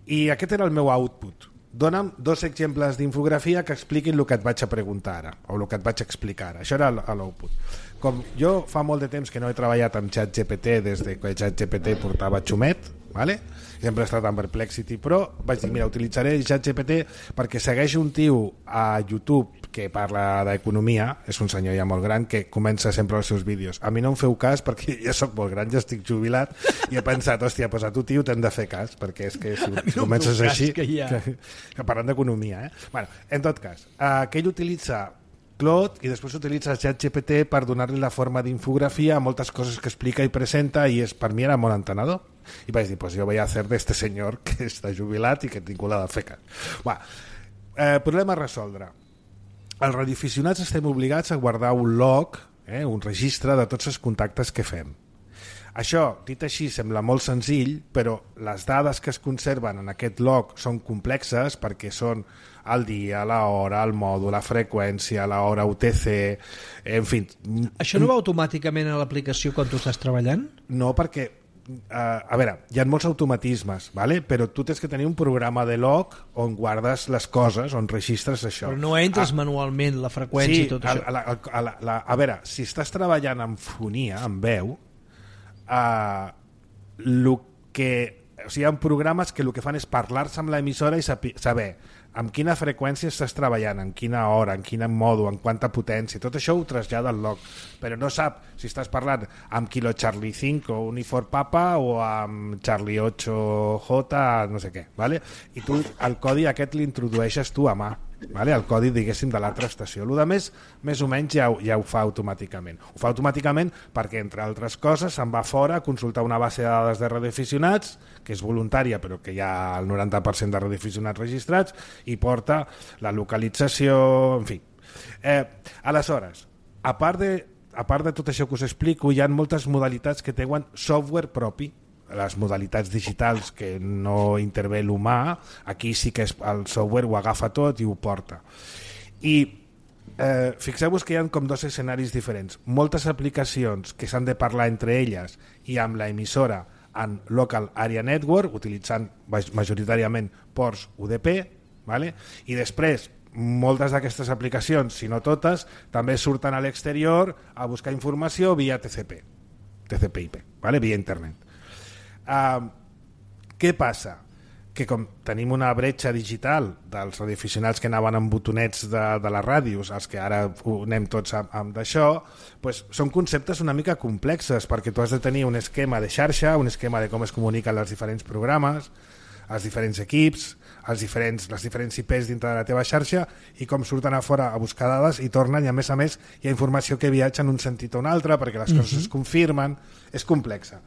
I aquest era el meu output. Dóna'm dos exemples d'infografia que expliquin el que et vaig a preguntar ara, o el que et vaig a explicar ara. Això era l'output. Com jo fa molt de temps que no he treballat amb ChatGPT des de que ChatGPT portava xumet, ¿vale? Sempre he estat amb Perplexity, però vaig dir, mira, utilitzaré ChatGPT perquè segueix un tio a YouTube que parla d'economia, és un senyor ja molt gran que comença sempre els seus vídeos. A mi no em feu cas perquè ja sóc molt gran, ja estic jubilat i he pensat, hòstia, pues a tu tio t'hem de fer cas perquè és que si no comences així que, ha... que, que parlant d'economia, eh? Bueno, en tot cas, uh, que ell utilitza Claude i després utilitza ChatGPT per donar-li la forma d'infografia a moltes coses que explica i presenta i és, per mi era molt entenedor i vaig dir, pues jo voy a hacer de este senyor que està jubilat i que tinc la de fer cas. Va, eh, problema a resoldre. Els radioaficionats estem obligats a guardar un log, eh, un registre de tots els contactes que fem. Això, dit així, sembla molt senzill, però les dades que es conserven en aquest log són complexes perquè són el dia, l'hora, el mòdul, la freqüència, l'hora U T C, en fi... Això no va automàticament a l'aplicació quan tu estàs treballant? No, perquè Uh, a veure, hi ha molts automatismes, vale? Però tu tens que tenir un programa de log on guardes les coses, on registres això. Però no entres ah, manualment la freqüència sí, i tot a, això. A, la, a, la, la, a veure, si estàs treballant amb fonia, amb veu, uh, lo que, o sigui, hi ha programes que el que fan és parlar-se amb l'emissora i saber amb quina freqüència estàs treballant, en quina hora, en quin modo, en quanta potència, tot això ho trasllada al log, però no sap si estàs parlant amb Kilo Charlie cinco Unifor Papa o amb Charlie ocho J no sé què, ¿vale? I tu el codi aquest l'introdueixes tu a mà, ¿vale? El codi, diguéssim, de l'altra estació. El que més, més o menys ja, ja ho fa automàticament. Ho fa automàticament perquè, entre altres coses, se'n va fora a consultar una base de dades de radioaficionats, que és voluntària, però que hi ha el noranta per cent de radioaficionats registrats, i porta la localització, en fi. Eh, aleshores, a part, de, a part de tot això que us explico, hi ha moltes modalitats que tenen software propi, les modalitats digitals que no intervé l'humà, aquí sí que és, el software ho agafa tot i ho porta. I eh, fixeu-vos que hi ha com dos escenaris diferents. Moltes aplicacions que s'han de parlar entre elles i amb la emissora en Local Area Network, utilitzant majoritàriament ports U D P, ¿vale? I després moltes d'aquestes aplicacions, si no totes, també surten a l'exterior a buscar informació via T C P, T C P I P, ¿vale? Via internet. Uh, què passa? Que com tenim una bretxa digital dels radioaficionats que anaven amb botonets de, de les ràdios, els que ara anem tots amb, amb d'això, pues són conceptes una mica complexes, perquè tu has de tenir un esquema de xarxa, un esquema de com es comuniquen els diferents programes, els diferents equips, els diferents, les diferents I Ps dintre de la teva xarxa, i com surten a fora a buscar dades i tornen, i a més a més hi ha informació que viatja en un sentit o un altre perquè les uh-huh. coses es confirmen. És complexa.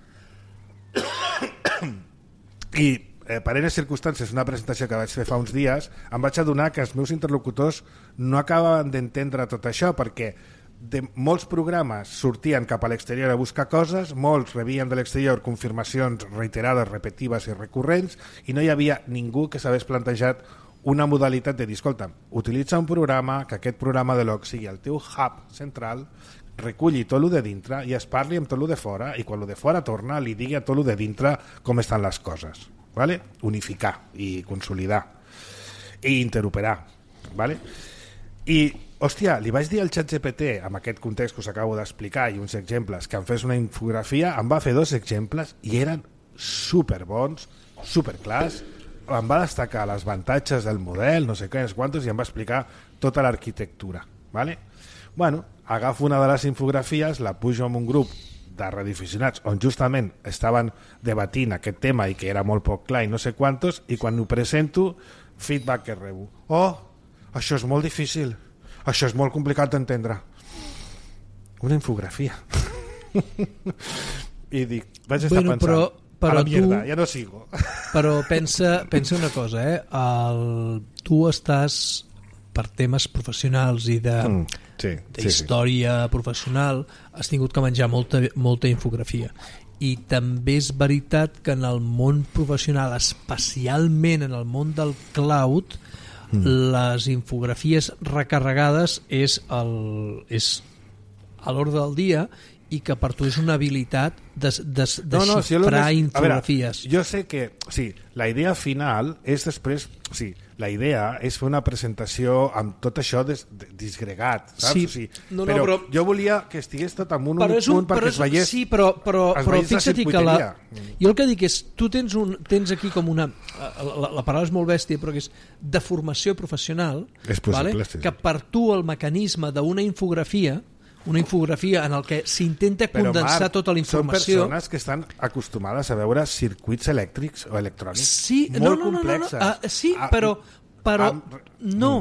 I eh, per eines circumstàncies, una presentació que vaig fer fa uns dies, em vaig adonar que els meus interlocutors no acabaven d'entendre tot això, perquè de molts programes sortien cap a l'exterior a buscar coses, molts rebien de l'exterior confirmacions reiterades, repetives i recurrents, i no hi havia ningú que s'hagués plantejat una modalitat de dir, escolta, utilitza un programa, que aquest programa de log sigui el teu hub central, reculli tot el de dintre i es parli amb tot el de fora, i quan el de fora torna li digui a tot el de dintre com estan les coses, ¿vale? Unificar i consolidar i interoperar, ¿vale? I, hòstia, li vaig dir al ChatGPT, amb aquest context que us acabo d'explicar i uns exemples, que em fes una infografia, em va fer dos exemples i eren superbons, superclars, em va destacar els avantatges del model, no sé què, quantos, i em va explicar tota l'arquitectura, ¿vale? Bueno, agafo una de les infografies, la pujo en un grup de radioaficionats on justament estaven debatint aquest tema i que era molt poc clar i no sé quantos, i quan ho presento, feedback que rebo. Oh, això és molt difícil, això és molt complicat d'entendre. Una infografia. I dic, vaig estar bueno, pensant, però, però a la mierda, tu, ja no sigo. Però pensa, pensa una cosa, eh? El, tu estàs per temes professionals i de mm, sí, d'història sí, sí. professional, has tingut que menjar molta, molta infografia. I també és veritat que en el món professional, especialment en el món del cloud, mm. les infografies recarregades és, el, és a l'ordre del dia, i que per tu és una habilitat de, de, de no, no, xifrar si infografies. Veure, jo sé que sí, la idea final és després, sí, la idea és fer una presentació amb tot això des, des, disgregat, saps? Sí, o sigui, no, no, però, però jo volia que estigués tot en un únic punt un, perquè es veiés. Sí, però, però, però fixa't que la, jo el que dic és, tu tens, un, tens aquí com una, la, la paraula és molt bèstia, però que és de formació professional, és possible, vale? Sí. Que per tu el mecanisme d'una infografia, una infografia en el que s'intenta condensar Marc, tota la informació. Són persones que estan acostumades a veure circuits elèctrics o electrònics sí, molt no, no, complexes. No, no, no. Uh, sí, ah, però, però ah, no,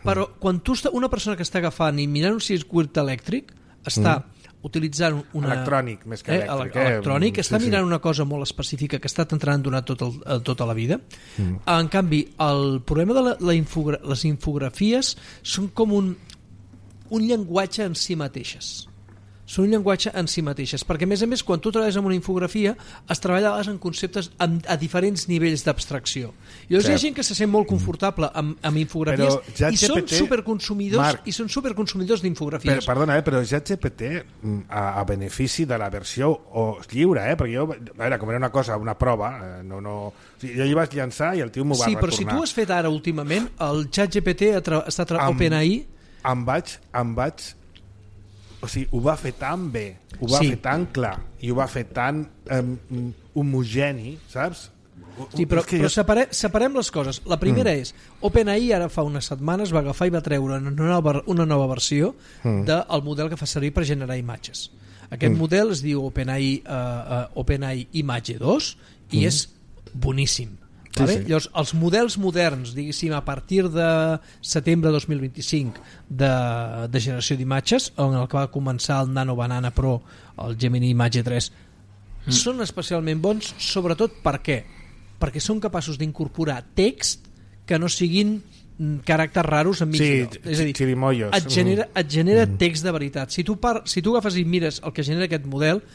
però quan tu està, una persona que està agafant i mirant un circuit elèctric està mm. utilitzant una... Electrònic, més que eh, elèctric. Eh, electrònic, sí, està sí. mirant una cosa molt específica que està entrant durant tot el, tota la vida. Mm. En canvi, el problema de la, la infogra les infografies són com un un llenguatge en si mateixes. són un llenguatge en si mateixes, perquè a més a més quan tu treballes amb una infografia es treballa en conceptes a, a diferents nivells d'abstracció. I llavors sí. Hi ha gent que se sent molt confortable amb, amb infografies i són superconsumidors Marc, i són superconsumidors d'infografies. Per, perdona, eh, però ChatGPT a, a benefici de la versió o lliure, eh, perquè jo, a veure, com era una cosa, una prova, eh, no, no, o sigui, jo hi vaig llançar i el tio m'ho va sí, retornar. Sí, però si tu has fet ara últimament, el ChatGPT està tra- OpenAI... Em vaig, em vaig o sigui, ho va fer tan bé, ho va sí. fer tan clar i ho va fer tan um, homogeni, saps? Sí, però, però jo... separe, separem les coses. La primera mm. és, OpenAI ara fa unes setmanes va agafar i va treure una nova, una nova versió mm. del model que fa servir per generar imatges. Aquest mm. model es diu OpenAI, uh, uh, OpenAI Image dos i mm. és boníssim. Sí, vale? Sí. Llavors, els models moderns, diguéssim, a partir de setembre dos mil vint-i-cinc de, de generació d'imatges, on el que va començar el Nano Banana Pro, el Gemini Image tres, mm. són especialment bons, sobretot per què? Perquè són capaços d'incorporar text que no siguin caràcters raros enmig sí, de... És a dir, chirimollos. et genera, et genera mm. text de veritat. Si tu, par, si tu agafes i mires el que genera aquest model,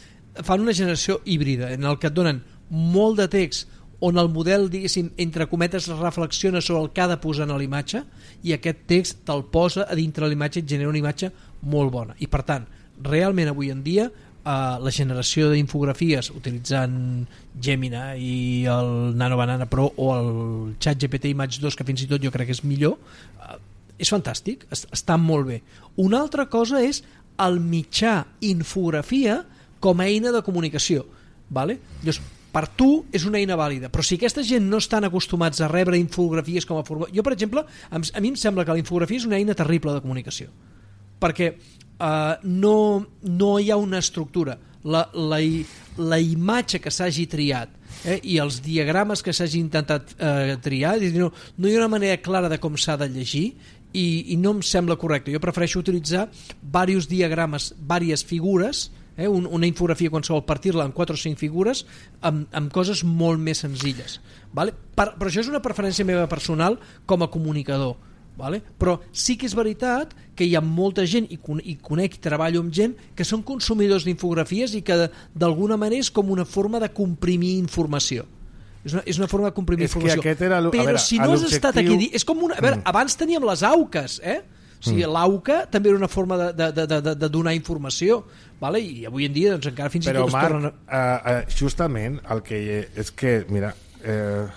fan una generació híbrida, en el que et donen molt de text on el model, diguéssim, entre cometes reflexiona sobre el que ha de posar en l'imatge i aquest text te'l posa a dintre l'imatge i et genera una imatge molt bona. I per tant, realment avui en dia eh, la generació d'infografies utilitzant Gemini i el Nano Banana Pro o el ChatGPT Image dos, que fins i tot jo crec que és millor, eh, és fantàstic, està molt bé. Una altra cosa és el mitjà infografia com a eina de comunicació, vale? Llavors, per tu és una eina vàlida, però si aquesta gent no estan acostumats a rebre infografies com a forma... Jo, per exemple, a mi em sembla que la infografia és una eina terrible de comunicació, perquè eh, no, no hi ha una estructura. La, la, la imatge que s'hagi triat eh, i els diagrames que s'hagi intentat eh, triar, no, no hi ha una manera clara de com s'ha de llegir i, i no em sembla correcte. Jo prefereixo utilitzar diversos diagrames, diverses figures, Eh, un, una infografia qualsevol, partir-la en quatre o cinc figures amb, amb coses molt més senzilles, vale? Per, però això és una preferència meva personal com a comunicador, vale? Però sí que és veritat que hi ha molta gent i, con, i conec i treballo amb gent que són consumidors d'infografies i que d'alguna manera és com una forma de comprimir informació. És una, és una forma de comprimir és informació. Però veure, si no has estat aquí... És com una, a veure, abans teníem les auques, eh? O sigui, mm. l'auca també era una forma de, de, de, de, de donar informació, vale? I avui en dia doncs, encara fins però, i tot Marc, es tornen... Però, Marc, uh, uh, justament el que és que, mira, uh,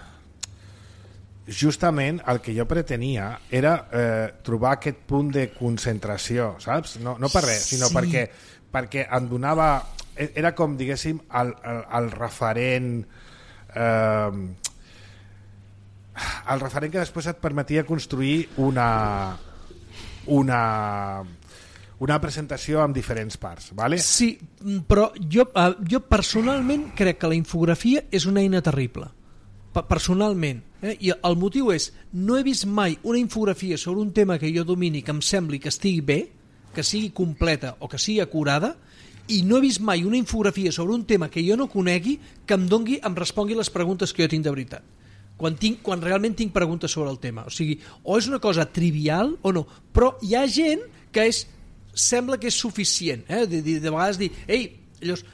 justament el que jo pretenia era uh, trobar aquest punt de concentració, saps? No, no per res, sinó sí. perquè, perquè em donava... Era com, diguéssim, el, el, el referent... Uh, el referent que després et permetia construir una... una una presentació amb diferents parts, vale? Sí, però jo, uh, jo personalment crec que la infografia és una eina terrible, personalment, eh? I el motiu és, no he vist mai una infografia sobre un tema que jo domini que em sembli que estigui bé, que sigui completa o que sigui acurada, i no he vist mai una infografia sobre un tema que jo no conegui que em dongui, em respongui les preguntes que jo tinc de veritat. Quan, tinc, quan realment tinc preguntes sobre el tema. O sigui, o és una cosa trivial o no, però hi ha gent que és, sembla que és suficient, eh? de, de, de vegades dir, ei, llavors,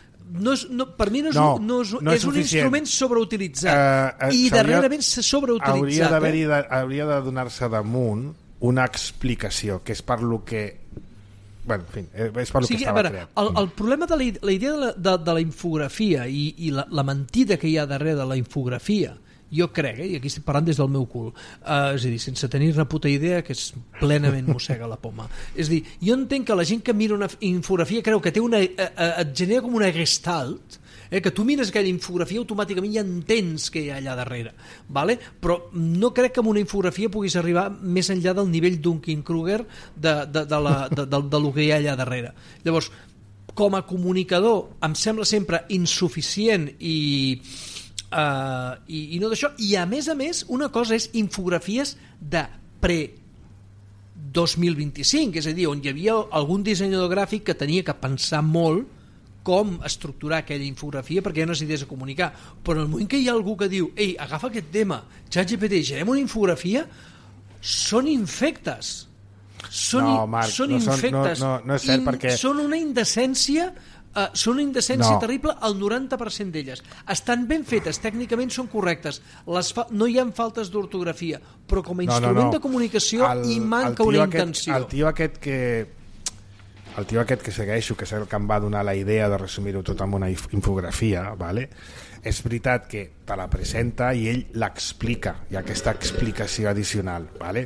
no és, no, per mi no és, no, no és, no és, és un instrument sobreutilitzat uh, uh, i darrerament s'ha sobreutilitzat. Hauria, eh? de, hauria de donar-se damunt una explicació, que és per lo que... Bueno, en fi, és per lo o sigui, que estava veure, creat. El, el problema de la, la idea de la, de, de la infografia i, i la, la mentida que hi ha darrere de la infografia, jo crec, eh, i aquí estic parlant des del meu cul, uh, és a dir, sense tenir una puta idea que és plenament mossega la poma. És a dir, jo entenc que la gent que mira una infografia creu que té una, uh, uh, et genera com una gestalt, eh, que tu mires aquella infografia automàticament ja entens què hi ha allà darrere, vale? Però no crec que amb una infografia puguis arribar més enllà del nivell Dunning-Kruger de, de, de, la, de, de, de lo que hi ha allà darrere. Llavors, com a comunicador em sembla sempre insuficient i Uh, i, i no d'això, i a més a més una cosa és infografies de pre dos mil vint-i-cinc, és a dir, on hi havia algun dissenyador gràfic que tenia que pensar molt com estructurar aquella infografia perquè hi ha unes idees a comunicar, però en el moment que hi ha algú que diu, ei, agafa aquest tema, ChatGPT, generem una infografia, són infectes, són, no, Marc, són no són, infectes. No, no, no és cert, In, perquè... Són una indecència, uh, són una indecència no. terrible al noranta per cent d'elles. Estan ben fetes, tècnicament són correctes, les fa... no hi ha faltes d'ortografia, però com a instrument no, no, no. de comunicació el, hi manca una aquest, intenció. El tio aquest que... El tio aquest que segueixo, que és el que em va donar la idea de resumir-ho tot amb una infografia, vale? És veritat que te la presenta i ell l'explica, hi ha aquesta explicació addicional, vale?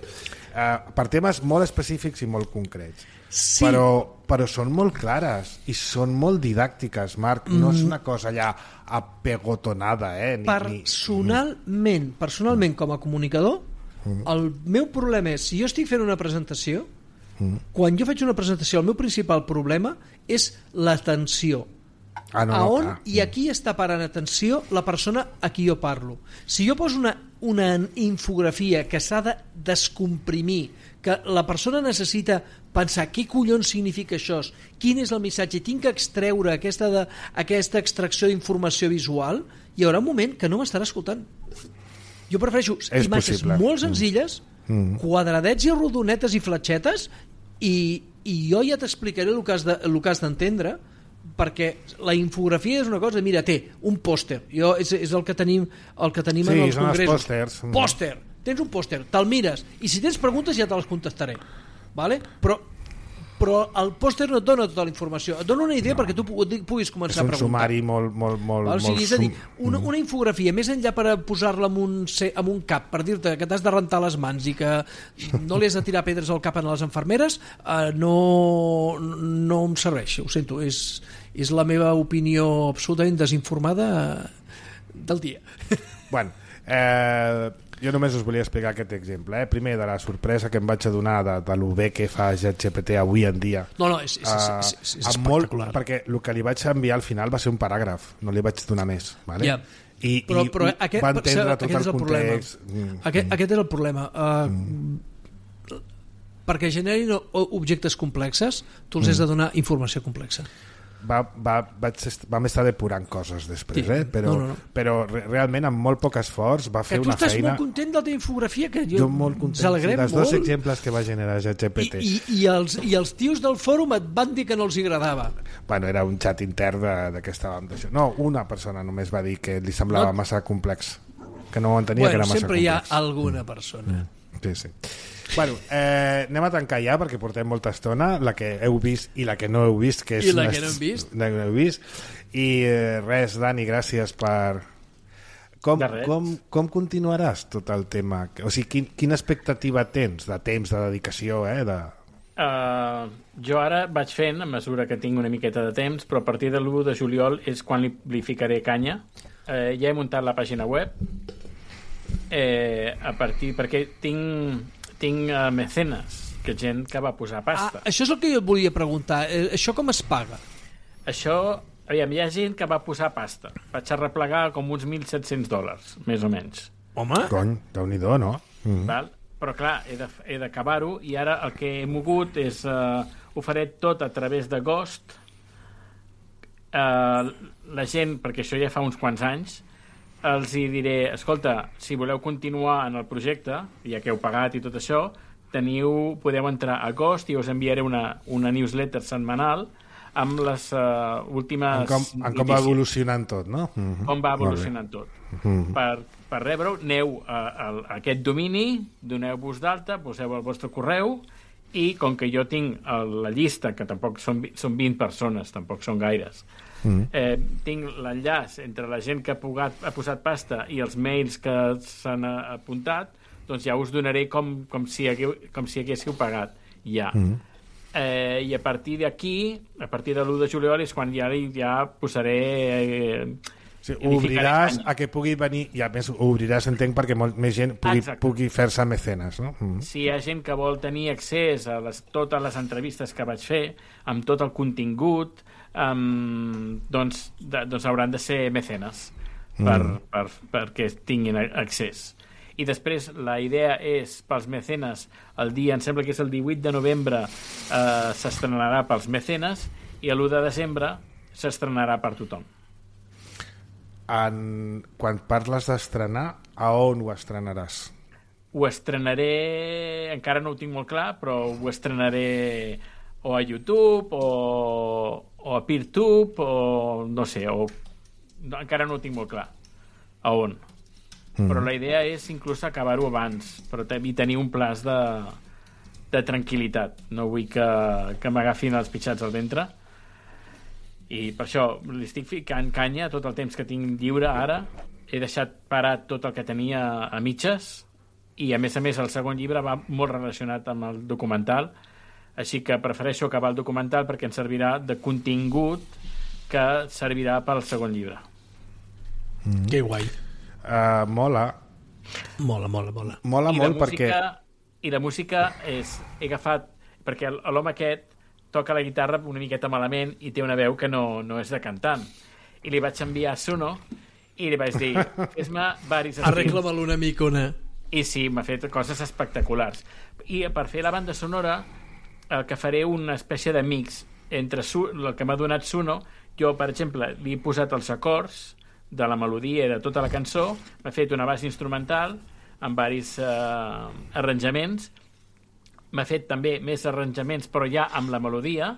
Uh, per temes molt específics i molt concrets. Sí. Però, però són molt clares i són molt didàctiques, Marc. No mm. és una cosa allà apegotonada, eh? Ni, personalment, ni... personalment com a comunicador, mm. el meu problema és, si jo estic fent una presentació, mm. quan jo faig una presentació, el meu principal problema és l'atenció. Ah, no, no, a on i a qui està parant atenció la persona a qui jo parlo. Si jo poso una, una infografia que s'ha de descomprimir, que la persona necessita pensar què collons significa això, quin és el missatge, tinc que extreure aquesta, de, aquesta extracció d'informació visual, hi haurà un moment que no m'estarà escoltant. Jo prefereixo és imatges possible. Molt senzilles, mm. quadradets i rodonetes i fletxetes, i, i jo ja t'explicaré el que has de, el que has d'entendre, perquè la infografia és una cosa, mira, té un pòster, jo, és, és el que tenim, el que tenim sí, en els congressos. Pòsters. Pòster, tens un pòster, te'l mires, i si tens preguntes ja te les contestaré, vale? però, però el pòster no et dona tota la informació, et dona una idea no. perquè tu puguis començar a preguntar. És un sumari molt... molt, molt, o sigui, molt és a dir, una, una infografia, més enllà per posar-la amb un, amb un cap, per dir-te que t'has de rentar les mans i que no li has de tirar pedres al cap a les infermeres, eh, no, no em serveix, ho sento, és, és la meva opinió absolutament desinformada del dia. Bueno, eh, jo només us volia explicar aquest exemple. Eh? Primer, de la sorpresa que em vaig adonar de, de lo bé que fa ChatGPT avui en dia. No, no, és, és, és, és, és espectacular. Molt, perquè el que li vaig enviar al final va ser un paràgraf, no li vaig donar més. Vale? Yeah. I, però, i però aquest, va entendre aquest tot el, el context. Mm. Aquest, aquest és el problema. Uh, mm. Perquè generin objectes complexes, tu els mm. has de donar informació complexa. Va, va, vaig, vam estar depurant coses després, sí. eh? però, no, no, no. però realment amb molt poc esforç va fer una feina... Que tu estàs molt content de la teva infografia, que jo, jo molt content, sí, dels dos exemples que va generar ChatGPT. I, i, i, els, I els tios del fòrum et van dir que no els agradava. Bueno, era un xat intern de, de que estàvem d'això. No, una persona només va dir que li semblava no. massa complex, que no ho entenia, bueno, que era massa complex. Bueno, sempre hi ha alguna persona. Mm. Sí, sí. Bueno, eh, anem a tancar ja perquè portem molta estona, la que heu vist i la que no heu vist, que és i la una... que no hem vist, la que no heu vist. I eh, res, Dani, gràcies per com, com, com continuaràs tot el tema, o sigui, quin, quina expectativa tens de temps, de dedicació, eh? de... Uh, jo ara vaig fent a mesura que tinc una miqueta de temps, però a partir de l'u de juliol és quan li, li ficaré canya. Uh, ja he muntat la pàgina web, eh, a partir perquè tinc tinc uh, mecenes, que gent que va posar pasta. Ah, això és el que jo et volia preguntar. Eh, això com es paga? Això, aviam, hi ha gent que va posar pasta. Vaig arreplegar com uns mil set-cents dòlars, més o menys. Home! Cony, Déu-n'hi-do, no? Mm-hmm. Val? Però clar, he de, he d'acabar-ho i ara el que he mogut és uh, ho faré tot a través de Ghost. Uh, la gent, perquè això ja fa uns quants anys, els hi diré, escolta, si voleu continuar en el projecte, ja que heu pagat i tot això, teniu, podeu entrar a Ghost i us enviaré una, una newsletter setmanal amb les uh, últimes... En com, en com va evolucionant tot, no? Mm-hmm. Com va evolucionant tot. Mm-hmm. Per, per rebre-ho, aneu a, a, a aquest domini, doneu-vos d'alta, poseu el vostre correu i com que jo tinc el, la llista, que tampoc són, són vint persones, tampoc són gaires, Mm. Eh, tinc l'enllaç entre la gent que ha, pugat, ha posat pasta i els mails que s'han apuntat, doncs ja us donaré com, com, si, hagueu, com si haguéssiu pagat ja. Mm. Eh, I a partir d'aquí, a partir de l'u de juliol és quan ja, ja posaré... Eh, sí, obriràs a que pugui venir, i a més obriràs, entenc, perquè molt més gent pugui, pugui fer-se mecenes, no? Mm. Si hi ha gent que vol tenir accés a les, totes les entrevistes que vaig fer, amb tot el contingut, Um, doncs, de, doncs hauran de ser mecenes per, mm. per, perquè tinguin accés. I després la idea és pels mecenes el dia, em sembla que és el divuit de novembre, eh, s'estrenarà pels mecenes i l'u de desembre s'estrenarà per tothom. En, quan parles d'estrenar, a on ho estrenaràs? ho estrenaré, encara no ho tinc molt clar, però ho estrenaré o a YouTube o, o a PeerTube o no sé, o no, encara no ho tinc molt clar a on. Mm. Però la idea és inclús acabar-ho abans, però també tenir un plaç de, de tranquil·litat. No vull que, que m'agafin els pitxats al ventre. I per això li estic ficant canya tot el temps que tinc lliure ara. He deixat parat tot el que tenia a mitges i, a més a més, el segon llibre va molt relacionat amb el documental, així que prefereixo acabar el documental perquè ens servirà de contingut que servirà pel segon llibre. Mm. Que guai. Uh, mola. Mola, mola, mola. Mola I molt música, perquè... I la música és... He agafat... Perquè l'home aquest toca la guitarra una miqueta malament i té una veu que no, no és de cantant. I li vaig enviar a Suno i li vaig dir, fes-me varis estils. Arregla-me'l una micona. I sí, m'ha fet coses espectaculars. I per fer la banda sonora, el que faré una espècie de mix entre su, el que m'ha donat Suno. Jo, per exemple, li he posat els acords de la melodia i de tota la cançó, m'ha fet una base instrumental amb varis eh, arranjaments, m'ha fet també més arranjaments però ja amb la melodia,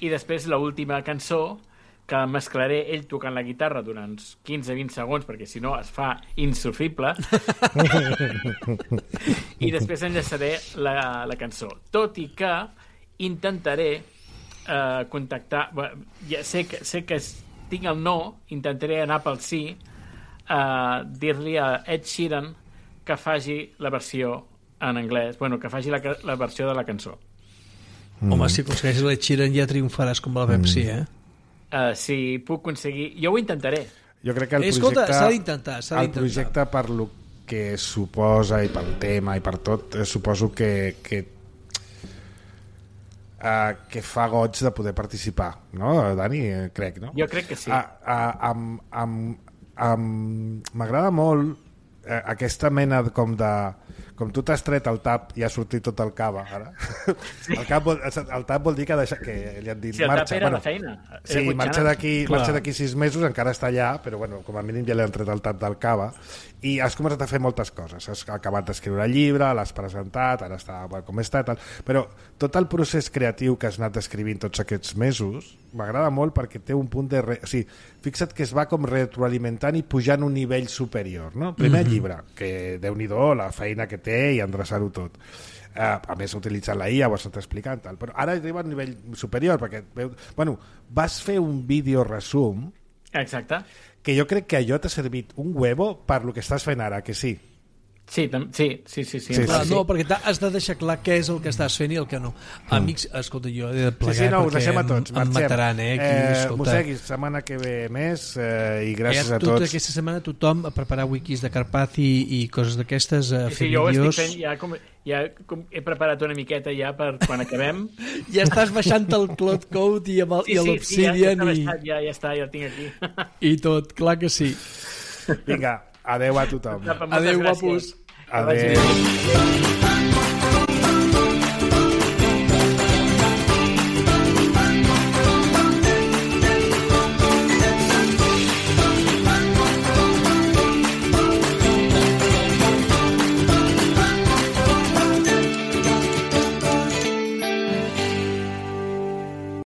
i després l'última cançó que mesclaré ell tocant la guitarra durant quinze a vint segons, perquè si no es fa insufrible, i després enllaçaré la, la cançó. Tot i que intentaré eh, contactar... Ja sé que, sé que tinc el no, intentaré anar pel sí, eh, dir-li a Ed Sheeran que faci la versió en anglès, bueno, que faci la, la versió de la cançó. Mm. Home, si aconsegueixes l'Ed Sheeran ja triomfaràs com la Pepsi, mm. eh? Uh, si puc aconseguir... Jo ho intentaré. Jo crec que el Escolta, projecte... s'ha d'intentar, s'ha el d'intentar. projecte, per lo que suposa i pel tema i per tot, eh, suposo que que, uh, que fa goig de poder participar, no, Dani? Eh, crec, no? Jo crec que sí. Uh, uh, amb, amb, amb... M'agrada molt eh, aquesta mena com de... Com tu t'has tret el tap i ha sortit tot el cava, ara. Sí. El, cap vol, el tap vol dir que, deixa, que li han dit sí, el marxa. tap era bueno, la feina. Era sí, Gutxana. marxa d'aquí marxa d'aquí sis mesos, encara està allà, però bueno, com a mínim ja li han tret el tap del cava. I has començat a fer moltes coses. Has acabat d'escriure el llibre, l'has presentat, ara està bueno, com està, tal. Però tot el procés creatiu que has anat escrivint tots aquests mesos m'agrada molt perquè té un punt de... Re... O sigui, fixa't que es va com retroalimentant i pujant un nivell superior, no? Primer mm-hmm. llibre, que déu-n'hi-do la feina que té i endreçar-ho tot. Uh, a més, utilitzant la I A, ho has estat explicant, tal. Però ara arriba a un nivell superior, perquè bueno, vas fer un vídeo resum. Exacte. Que jo crec que allò t'ha servit un huevo per lo que estàs fent ara, que sí. Sí, sí, sí, sí, sí, sí, clar, sí. No, perquè has de deixar clar què és el que estàs fent i el que no. Mm. Amics, escolta, jo he de plegar sí, sí, no, perquè a tots, em, em mataran, eh? Aquí, eh Mosseguis, setmana que ve més eh, i gràcies ja, a tots. Tota aquesta setmana tothom a preparar wikis de Carpath i, i coses d'aquestes, a sí, fer sí, jo vídeos. Jo ho estic fent, ja, com, ja com he preparat una miqueta ja per quan acabem. Ja estàs baixant el Cloud Code i, amb el, sí, i l'Obsidian sí, ja, i... ja, ja està, ja el tinc aquí. I tot, clar que sí. Vinga, adeu a tothom. Adeu, guapos. Adeu.